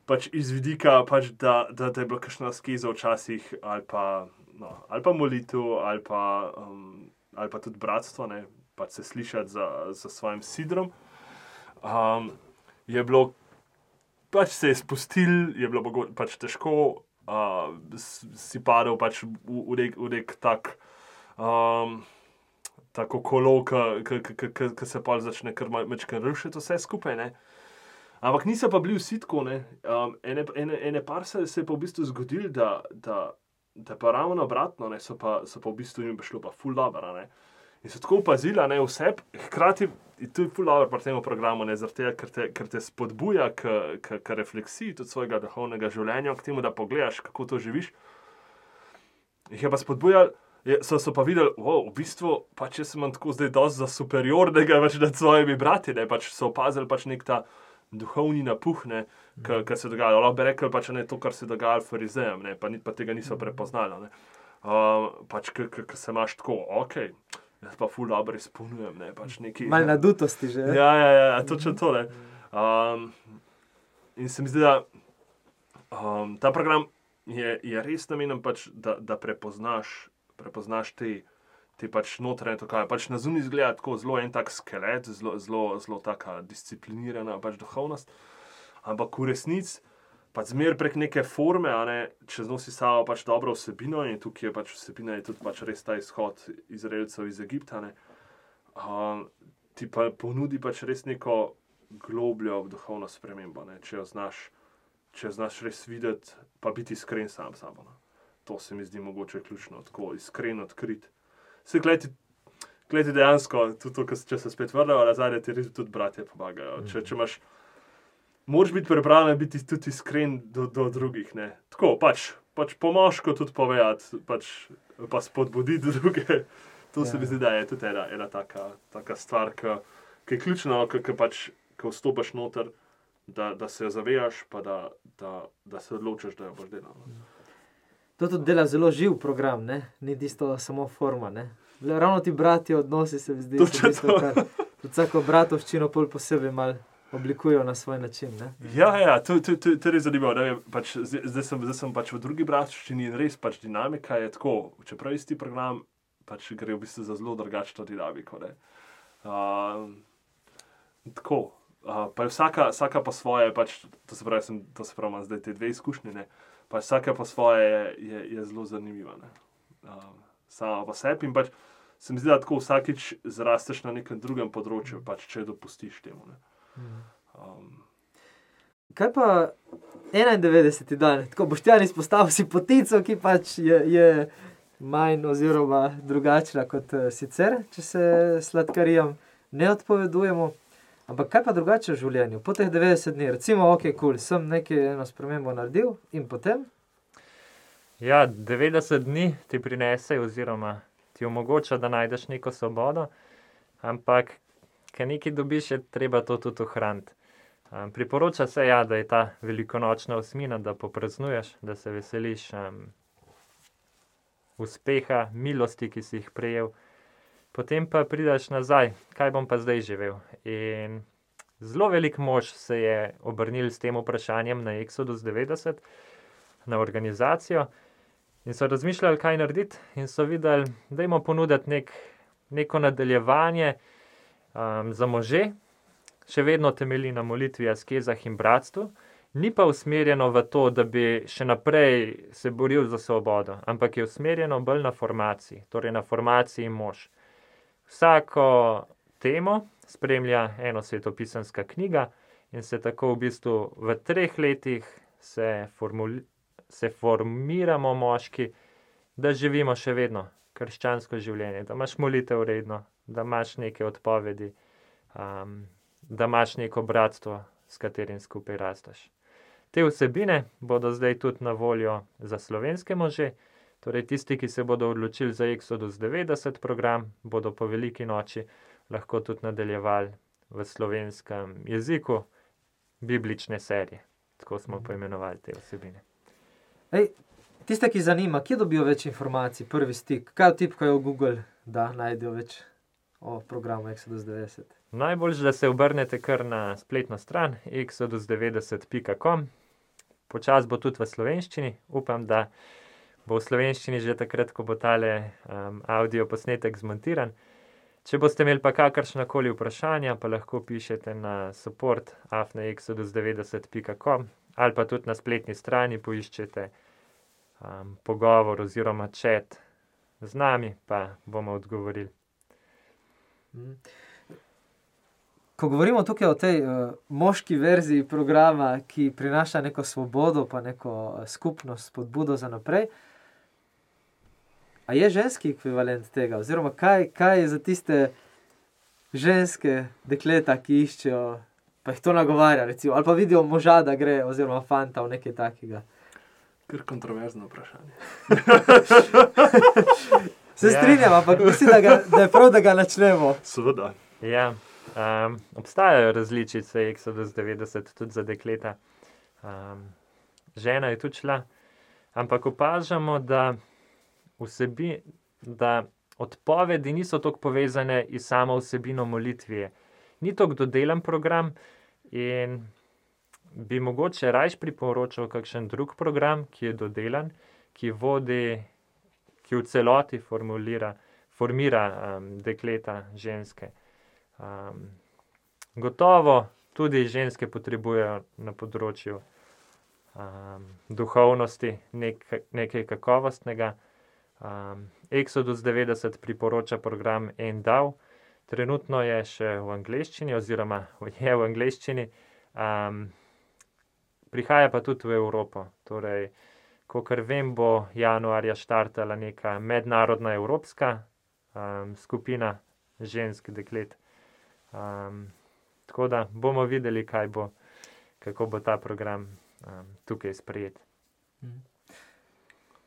pač iz vidika, pač da, da, da je bila kakšna skeza včasih, ali pa, no, ali pa molitev, ali pa, um, ali pa tudi bratstvo, ne, pač se slišati za, za svojim sidrom. Um, je bilo, pač se je spustil, je bilo mogo, pač težko, uh, si padel pač v, v, nek, v nek tak, um, tako kolo, ki se pa začne kar mečkaj rušiti vse skupaj, ne. Ampak niso pa bili vsi tako, ne. Um, ene, ene, ene par se, se je pa v bistvu zgodil, da, da, da pa ravno obratno, ne, so pa, so pa v bistvu jim šlo pa ful dobro, ne. In so tako opazila, ne, vse, hkrati, in to je ful dobro pri tem programu, ne, zaradi tega, ker te, ker te spodbuja k, k, k refleksiji tudi svojega duhovnega življenja, k temu, da pogledaš, kako to živiš. Jih je pa spodbujal, je, so, so pa videli, wow, v bistvu, pač jaz sem tako zdaj dosti za superiornega več nad svojimi brati, ne, pač so opazili pač nek ta duhovni napuh, ne, mm. kar se dogaja. Lahko bi rekli pač ne to, kar se dogaja farizejem, ne, pa, pa tega niso prepoznali, ne. Um, pač, ker se imaš tako, okej, okay. Jaz pa ful dobro izpolnjujem, ne, pač neki... Malo nadutosti že. Ja, ja, ja, točno to, ne. Um, in se mi zdi, da um, ta program je, je res namenjen pač, da, da prepoznaš, prepoznaš te, te pač notranje tokaje. Pač na zunaj izgleda tako zelo en tak skelet, zelo, zelo, zelo taka disciplinirana pač duhovnost, ampak v resnici pač zmer prek neke forme, a ne, čez nosi samo pač dobro vsebino in tukaj je pač vsebina je tudi pač res ta izhod Izraelcev iz Egipta, ne, um, ti pa ponudi pač res neko globljo duhovno spremembo, ne, če jo znaš, če jo znaš res videti, pa biti iskren sam s sabo, ne. To se mi zdi mogoče ključno, tako iskren, odkrit. Vse gledajte, gledajte dejansko, tudi to, če se spet vrnejo nazaj, ti res tudi bratje pomagajo. Če, če imaš moraš biti pripravljen biti tudi iskren do, do drugih, ne. Tako, pač, pač pomožko tudi povedati, pač, pa spodbuditi druge. To ja. Se mi zdi, da je tudi ena, ena taka, taka stvar, ki je ključna, ki pač, ko vstopaš noter, da, da se jo zavejaš, pa da, da, da se odločiš, da jo boš delal. Ne. To tudi dela zelo živ program, ne? Ni tisto samo forma, ne? Ravno ti brati odnosi se mi zdi, so tisto, kar vsako bratovščino pol posebej malo oblikujejo na svoj način, ne? Ja, ja, to, to, to, to je res zanimivo, ne, pač, zdaj, zdaj, sem, zdaj sem pač v drugi bratovščini in res pač dinamika je tako, čeprav isti program, pač gre v bistvu za zelo drugačno dinamiko, ne. Uh, tako, uh, pa je vsaka, vsaka po svoje, pač, to se pravi, sem, to se pravi, imam zdaj te dve izkušnje, ne, pač vsaka po svoje je, je, je zelo zanimiva, ne. Uh, sama po sebi in pač se mi zdi, da tako vsakič zrasteš na nekem drugem področju, pač, če dopustiš temu, ne. Um. Kaj pa enaindevetdeseti dan? Tako Boštjan izpostavil si potico, ki pač je, je manj oziroma drugačna kot uh, sicer, če se sladkarijam ne odpovedujemo. Ampak kaj pa drugače v življenju? Po teh devetdeset dni, recimo, ok, cool, sem nekaj eno spremembo naredil in potem? Ja, devetdeset dni ti prinese oziroma ti omogoča, da najdeš neko svobodo, ampak ker nekaj dobiš, je treba to tudi ohraniti. Um, priporoča se, ja, da je ta velikonočna osmina, da popraznuješ, da se veseliš um, uspeha, milosti, ki si jih prejel. Potem pa prideš nazaj, kaj bom pa zdaj živel. In zelo velik mož se je obrnil s tem vprašanjem na Exodus devetdeset, na organizacijo, in so razmišljali, kaj narediti, in so videli, dajmo ponuditi nek, neko nadaljevanje, Um, za može, še vedno temelji na molitvi, askezah in bratstvu, ni pa usmerjeno v to, da bi še naprej se boril za svobodo, ampak je usmerjeno bolj na formaciji, torej na formaciji mož. Vsako temo spremlja eno svetopisanska knjiga in se tako v bistvu v treh letih se, formuli, se formiramo moški, da živimo še vedno krščansko življenje, da imaš molitev redno, da imaš neke odpovedi, um, da imaš neko bratstvo, s katerim skupaj rastaš. Te vsebine bodo zdaj tudi na voljo za slovenske može, torej tisti, ki se bodo odločili za Exodus devetdeset program, bodo po veliki noči lahko tudi nadaljevali v slovenskem jeziku biblične serije. Tako smo poimenovali te vsebine. Ej, tiste, ki zanima, kje dobijo več informacij, prvi stik, kaj vtipkajo v Google, da najdejo več o programu Exodus devetdeset? Najboljše, da se obrnete kar na spletno stran exodus devetdeset pika com. Počas bo tudi v slovenščini. Upam, da bo v slovenščini že takrat, ko bo tale um, audio posnetek zmontiran. Če boste imeli pa kakršnakoli vprašanja, pa lahko pišete na support afna exodus devetdeset pika com ali pa tudi na spletni strani poiščete um, pogovor oziroma chat z nami, pa bomo odgovorili. Ko govorimo tukaj o tej uh, moški verziji programa, ki prinaša neko svobodo, pa neko uh, skupnost, spodbudo za naprej, a je ženski ekvivalent tega? Oziroma, kaj, kaj je za tiste ženske dekleta, ki iščejo, pa jih to nagovarja, recimo, ali pa vidijo moža, da gre, oziroma fanta v nekaj takega? Kar kontroverzno vprašanje. Se strinjam, ampak mislim, da, ga, da je prav, da ga načnemo. Seveda. Ja, um, obstajajo različice Exodus devetdeset tudi za dekleta. Um, žena je tudi šla, ampak opažamo, da vsebi, da odpovedi niso toliko povezane iz samo vsebino molitve. Ni toliko dodelen program in bi mogoče rajš priporočal kakšen drug program, ki je dodelan, ki vodi, ki v celoti formulira, formira um, dekleta, ženske. Um, gotovo tudi ženske potrebujejo na področju um, duhovnosti nek, nekaj kakovostnega. Um, Exodus devetdeset priporoča program En Dav. Trenutno je še v angleščini oziroma je v angleščini. Um, prihaja pa tudi v Evropo. Torej, kakor vem, bo januarja štartala neka mednarodna evropska um, skupina žensk deklet. Um, tako da bomo videli, kaj bo, kako bo ta program um, tukaj sprejet. Mm.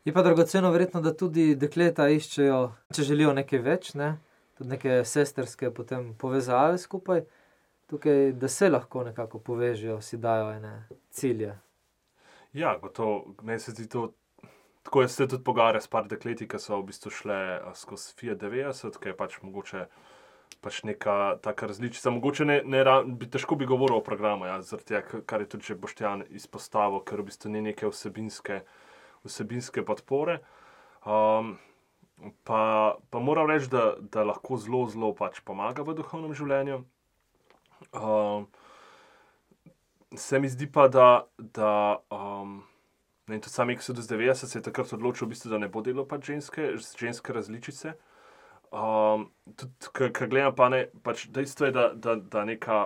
Je pa dragoceno verjetno, da tudi dekleta iščejo, če želijo nekaj več, ne? Tudi neke sesterske potem povezave skupaj, tukaj, da se lahko nekako povežejo, si dajo ene cilje. Ja, gotovo, meni se zdi to, tako jaz se tudi pogovarjam s par dekleti, ki so v bistvu šle skozi Fiat devetdeset, ki je pač mogoče pač neka taka različica, mogoče ne, ne bi, težko bi govoril o programu, ja, zaradi tega, kar je tudi že Boštjan izpostavil, ker v bistvu ni neke vsebinske vsebinske podpore. Um, pa, pa moram reči, da, da lahko zelo, zelo pač pomaga v duhovnem življenju. Um, se mi zdi pa, da, da um, ne, tudi sam Exodus devetdeset se je takrat odločil, v bistvu, da ne bo delal pač ženske, ženske različice. Um, tudi, ko gledam pa ne, pač dejstvo je, da, da, da, neka,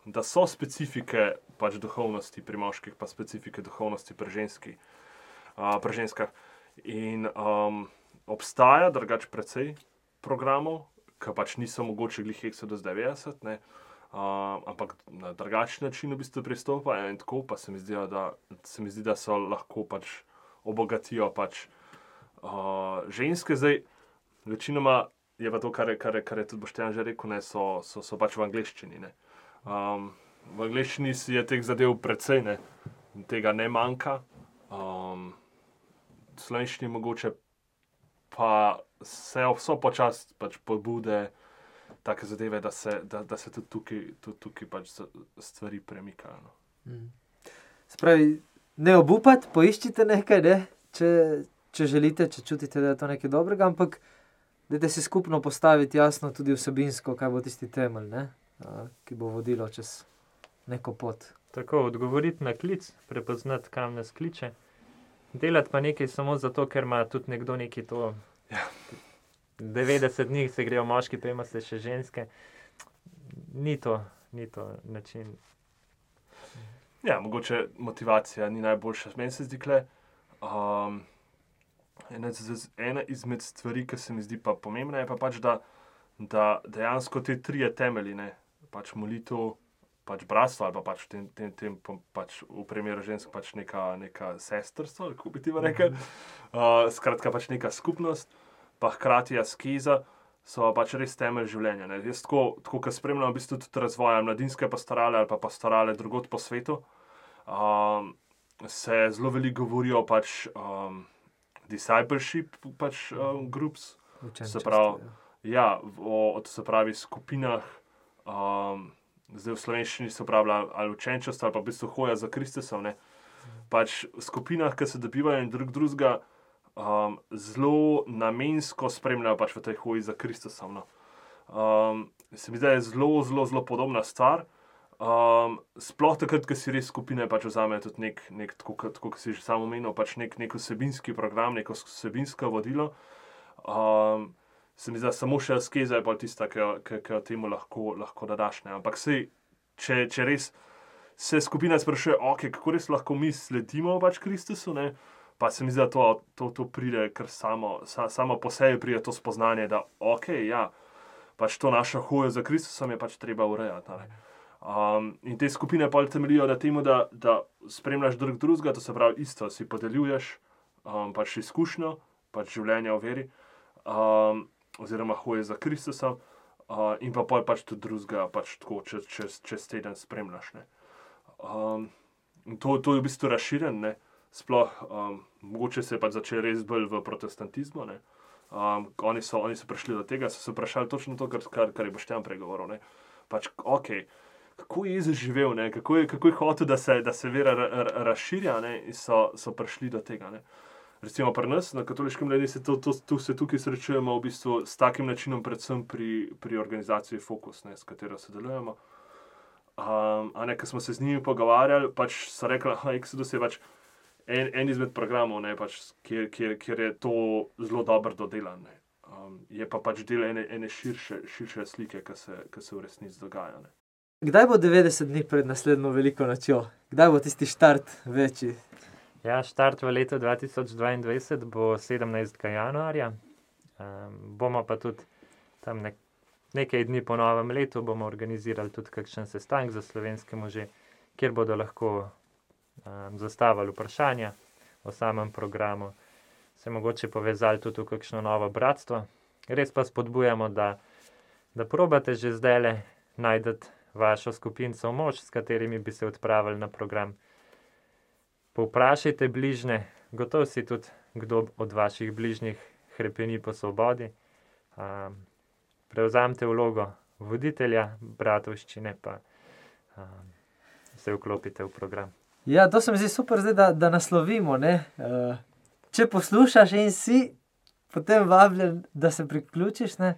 da so specifike pač duhovnosti pri moških, pa specifike duhovnosti pri ženski. Uh, pri ženskah. In um, obstaja drugače precej programov, ki pač niso mogoče glih Exodus devetdeset, ne, uh, ampak na drugačen način v bistvu pristopajo in tako, pa se mi zdi, da, se mi zdi, da so lahko pač obogatijo pač uh, ženske. Zdaj, večinoma je pa to, kar je, kar je, kar je tudi Boštjan že rekel, ne, so, so, so pač v angleščini. Ne. Um, v angleščini si je teh zadev precej, ne, tega ne manjka. Um, v slovenščini mogoče pa se so počasi pač pobude take zadeve, da se, da, da se tudi tukaj, tudi tukaj pač stvari premikajo. No. Mm. Spravi, ne obupati, poiščite nekaj, ne? če, če želite, če čutite, da je to nekaj dobrega, ampak dajte si skupno postaviti jasno tudi vsebinsko, kaj bo tisti temelj, ne? A, ki bo vodilo čez neko pot. Tako, odgovoriti na klic, prepoznati, kam nas kliče. Delati pa nekaj samo zato, ker ima tudi nekdo nekaj to. Ja. devetdeset dni se grejo moški, pa ima se še ženske. Ni to, ni to način. Ja, mogoče motivacija ni najboljša. Meni se zdi, kle, um, ena, ena izmed stvari, ki se mi zdi pa pomembna, je pa pač, da, da dejansko te trije temelji, ne, pač molitev, pač bratstvo, ali pa pač v tem, tem, tem pač v primeru žensk pač neka, neka sestrstvo, kako bi ti rekel. Uh, skratka, pač neka skupnost, pa hkrati askeza, so pač res temelj življenja. Ne. Jaz tako, tako ko spremljam v bistvu tudi razvoja mladinske pastorale ali pa pastorale drugod po svetu, um, se zelo veliko govorijo pač um, discipleship pač um, groups, se pravi, ja, o, se pravi skupinah, um, zdaj v slovenščini se uporablja ali učenčestvo ali pa v bistvu hoja za Kristusom, ne. Pač v skupinah, ki se dobivajo in drug drugega, um, zelo namensko spremljajo pač v tej hoji za Kristusom. No. Um, se mi zdi, da je zelo, zelo, zelo podobna stvar. Um, sploh takrat, ko si res skupine pač vzamejo tudi nek, nek tako, tako kot si že sam omenil, pač nek, nek vsebinski program, neko vsebinsko vodilo. Um, se mi zdi, samo še askeza je pa tista, ki, ki, ki jo temu lahko, lahko dodaš. Ne. Ampak sej, če, če res se skupina sprašuje, okay, kako res lahko mi sledimo pač Kristusu, ne, pa se mi zdi, da to, to, to pride kar samo, sa, samo po sebi pride to spoznanje, da ok, ja, pač to naša hoja za Kristusom je pač treba urejati. Um, in te skupine pa temeljijo na temu, da, da spremljaš drug drugega, to se pravi isto, si podeljuješ um, pač izkušnjo, pač življenja v veri, um, oziroma hoje za Kristusom, uh, in pa pol pač tudi drugega pač tako čez, čez, čez teden spremljaš, ne. Um, to, to je v bistvu razširjen, ne, sploh, um, mogoče se je pač začel res bolj v protestantizmu, ne, um, oni, so, oni so prišli do tega, so se vprašali točno to, kar, kar, kar je Boštjan pregovoril, ne, pač, ok, kako je Jezus živel, ne, kako je, kako je hotel, da se, da se vera ra, ra, razširja, ne, in so, so prišli do tega, ne. Recimo pri nas, na katoliškem mladini, se, to, to, to se tukaj srečujemo v bistvu s takim načinom, predvsem pri, pri organizaciji Fokus, ne, s katero sodelujemo. Um, a ne, ko smo se z njimi pogovarjali, pač so rekli, da Exodus je pač en, en izmed programov, ne, pač, kjer, kjer, kjer je to zelo dobro dodelan. Ne. Um, je pa pač del ene, ene širše, širše slike, ki se, ki se v resnici dogaja. Ne. Kdaj bo devetdeset dni pred naslednjo veliko nočjo? Kdaj bo tisti štart večji? Ja, štart v letu dva tisoč dvaindvajset bo sedemnajstega januarja. Um, bomo pa tudi tam nek Nekaj dni po novem letu bomo organizirali tudi kakšen sestanek za slovenske može, kjer bodo lahko um, zastavili vprašanja o samem programu, se mogoče povezali tudi v kakšno novo bratstvo. Res pa spodbujamo, da, da probate že zdajle najdete vašo skupinco mož, s katerimi bi se odpravili na program. Povprašajte bližne, gotovo si tudi kdo od vaših bližnjih hrepeni po svobodi. Um, Prevzamete vlogo voditelja bratovščine, pa um, se vklopite v program. Ja, to se mi zdi super zdaj, da, da naslovimo, ne. Uh, če poslušaš in si potem vabljen, da se priključiš, ne.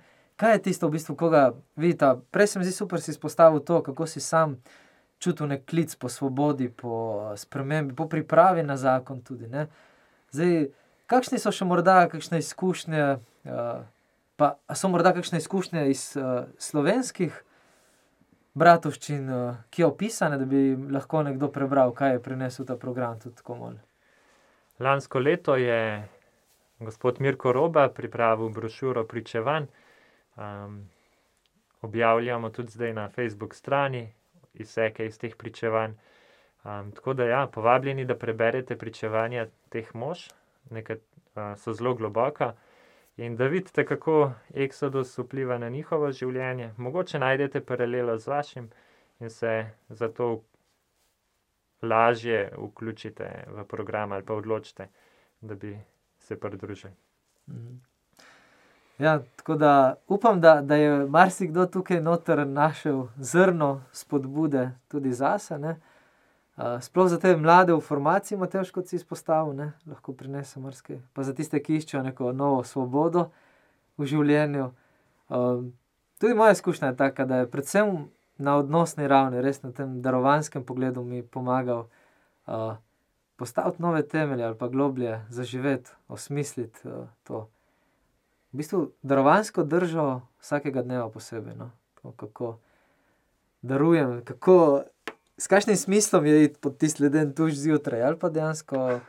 Kaj je tisto v bistvu, koga vidita? Prej se mi zdi super si izpostavil to, kako si sam čutil nek klic po svobodi, po spremembi, po pripravi na zakon tudi, ne. Zdaj, kakšni so še morda kakšne izkušnje, uh, pa so morda kakšne izkušnje iz uh, slovenskih bratovščin, uh, ki je opisane, da bi lahko nekdo prebral, kaj je prinesel ta program tudi tako malo? Lansko leto je gospod Mirko Roba pripravil brošuro pričevanj. Um, objavljamo tudi zdaj na Facebook strani izseke iz teh pričevanj. Um, tako da ja, povabljeni, da preberete pričevanja teh mož, nekaj uh, so zelo globoka. In da vidite, kako Exodus vpliva na njihovo življenje. Mogoče najdete paralelo z vašim in se zato lažje vključite v program ali pa odločite, da bi se pridružili. Ja, tako da upam, da, da je marsikdo tukaj noter našel zrno spodbude tudi zase, ne. Uh, sploh za te mlade v formaciji, Matevž, kot si izpostavil, ne, lahko prinese marsikaj. Pa za tiste, ki iščejo neko novo svobodo v življenju. Uh, tudi moja izkušnja je taka, da je predvsem na odnosni ravni, res na tem darovanskem pogledu mi pomagal uh, postaviti nove temelje ali pa globlje zaživeti, osmisliti uh, to. V bistvu darovansko držo vsakega dneva posebej, no. To, kako darujem, kako s kakšnim smislom je iti pod tisti leden tuš zjutraj, ali pa dejansko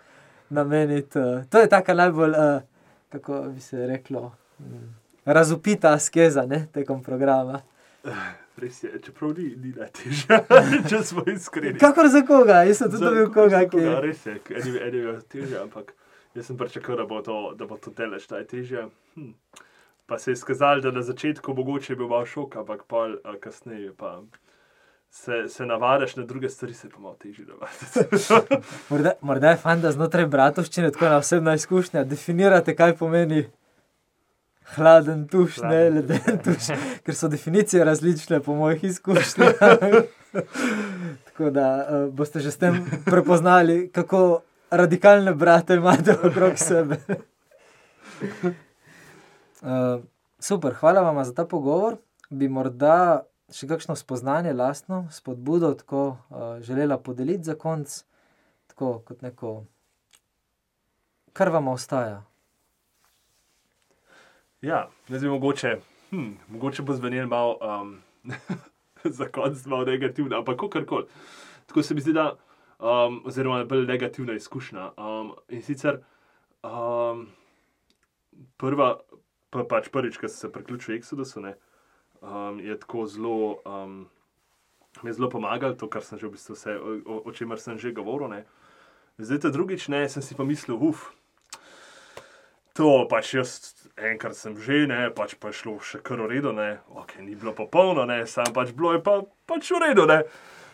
nameniti. Uh, to je taka najbolj, uh, kako bi se reklo, um, razupita askeza, ne, tekom programa. Res je, čeprav ni, ni najtežja, če smo iskreni. Kakor za koga? Jaz sem tudi dobil koga, ki... Koga, res je, eni, eni je težja, ampak jaz sem pričakal, da bo to, da bo to delež najtežja. Hm. pa se je skazalo, da na začetku mogoče je bil malo šok, ampak pol uh, kasneje pa se, se navadaš na druge stvari, se pa malo težje navaditi. morda, morda je fajn, da znotraj bratovščine, tako na osebna izkušnja, definirate, kaj pomeni hladen tuš, hladen, ne leden tuš, ker so definicije različne po mojih izkušnjah. Tako da uh, boste že s tem prepoznali, kako radikalne brate imate okrog sebe. Uh, super, hvala vam za ta pogovor. Bi morda še kakšno spoznanje lastno, spodbudo tako uh, želela podeliti za konc, tako kot neko, kar vam ostaja? Ja, jaz bi mogoče, hm, mogoče bo zvenel malo um, za konc malo negativno, ampak kakorkoli. Tako se mi zdi, da, um, oziroma bolj negativna izkušnja. Um, in sicer um, prva, pa, pač prvič, ko sem se priključil Exodusu, ne, um, je tako zelo, um, mi je zelo pomagal, to, kar sem že v bistvu vse, o, o čemer sem že govoril. Ne. Zdaj, ta drugič, ne, sem si pa mislil, uf, to pač jaz enkrat sem že, ne, pač pa je šlo še kar v redu, ne, ok, ni bilo popolno, ne, sam pač bilo je pa pač v redu, ne.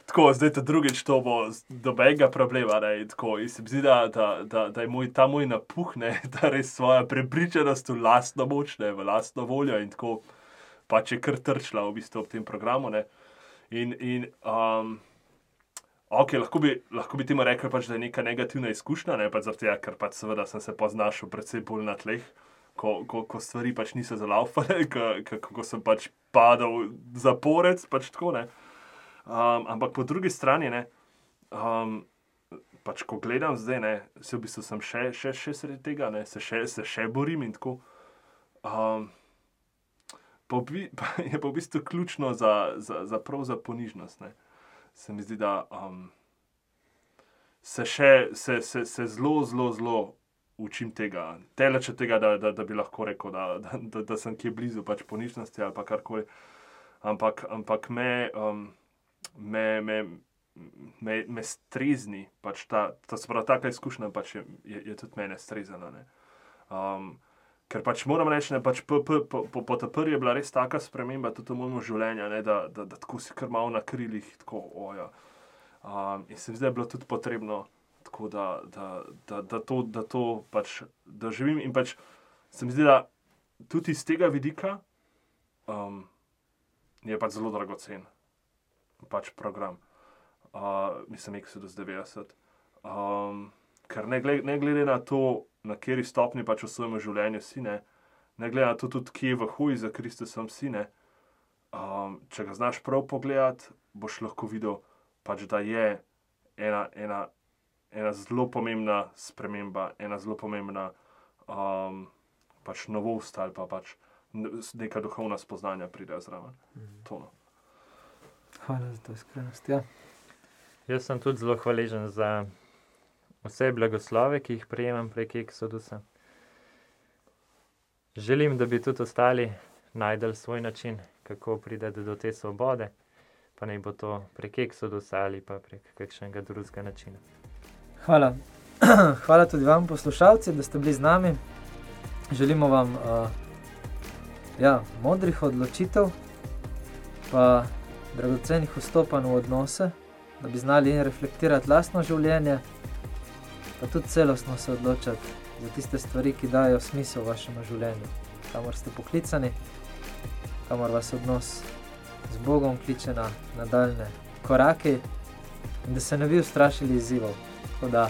Tako, zdaj ta drugič to bo dobenega problema, ne, in tako, in se mi zdi, da, da, da, da je moj, ta moj napuh, ne, da res svoja prepričanost v lastno moč, ne, v lastno voljo in tako, pač je kar trčila v bistvu ob tem programu, ne, in, in, um, ok, lahko bi, lahko bi temu rekel, pač, da je neka negativna izkušnja, ne, pač zaradi tega, ker pač seveda sem se poznašel predvsem bolj na tleh, ko, ko, ko stvari pač niso zalaufale, kako sem pač padal zaporec, pač tako, ne. Um, ampak po drugi strani, ne, um, pač ko gledam zdaj, ne, se v bistvu sem še, še, še sredi tega, ne, se še, se še borim in tako. Um, pa, pa je pa v bistvu ključno za, za, za prav za ponižnost, ne. Se mi zdi, da um, se še, se, se, se zelo, zelo, zelo učim tega. Teleče tega, da, da, da bi lahko rekel, da, da, da, da sem kje blizu pač ponižnosti ali pa karkoli. Ampak, ampak me, um, me, me, me, me strezni, pač ta, ta sprav, taka izkušnja pač je, je, je tudi mene strezana, ne. Um, ker pač moram reči, ne, pač po, po, po, po, po ta prvi je bila res taka sprememba tudi v mojem življenju, ne, da, da, da tako si kar malo na krilih, tako, oja. Um, in se mi zdaj je bilo tudi potrebno, tako da, da, da, da, to, da to pač doživim in pač se mi zdi, da tudi iz tega vidika um, je pač zelo dragocen pač program. Uh, mislim, Exodus devetdeset. Um, ker ne glede, ne glede na to, na kateri stopni pač v svojem življenju si, ne, ne glede na to tudi, kje v hoji za Kristusom si, ne, um, če ga znaš prav pogledati, boš lahko videl, pač, da je ena, ena, ena zelo pomembna sprememba, ena zelo pomembna um, pač novost ali pa pač neka duhovna spoznanja pride zraven. Mm. To, no. Hvala za to iskrenost, ja. Jaz sem tudi zelo hvaležen za vse blagoslove, ki jih prejemam prek Exodusa. Želim, da bi tudi ostali najdel svoj način, kako priti do te svobode, pa naj bo to prek Exodusa ali pa prek kakšnega drugega načina. Hvala. Hvala tudi vam, poslušalci, da ste bili z nami. Želimo vam uh, ja, modrih odločitev, pa dragocenih vstopanj v odnose, da bi znali reflektirati lastno življenje, pa tudi celostno se odločati za tiste stvari, ki dajo smisel vašemu življenju, kamor ste poklicani, kamor vas odnos z Bogom kliče na nadaljne korake in da se ne bi ustrašili izzivov. Tako da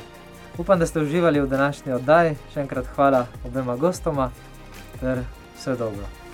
upam, da ste uživali v današnji oddaji. Še enkrat hvala obema gostoma ter vse dobro.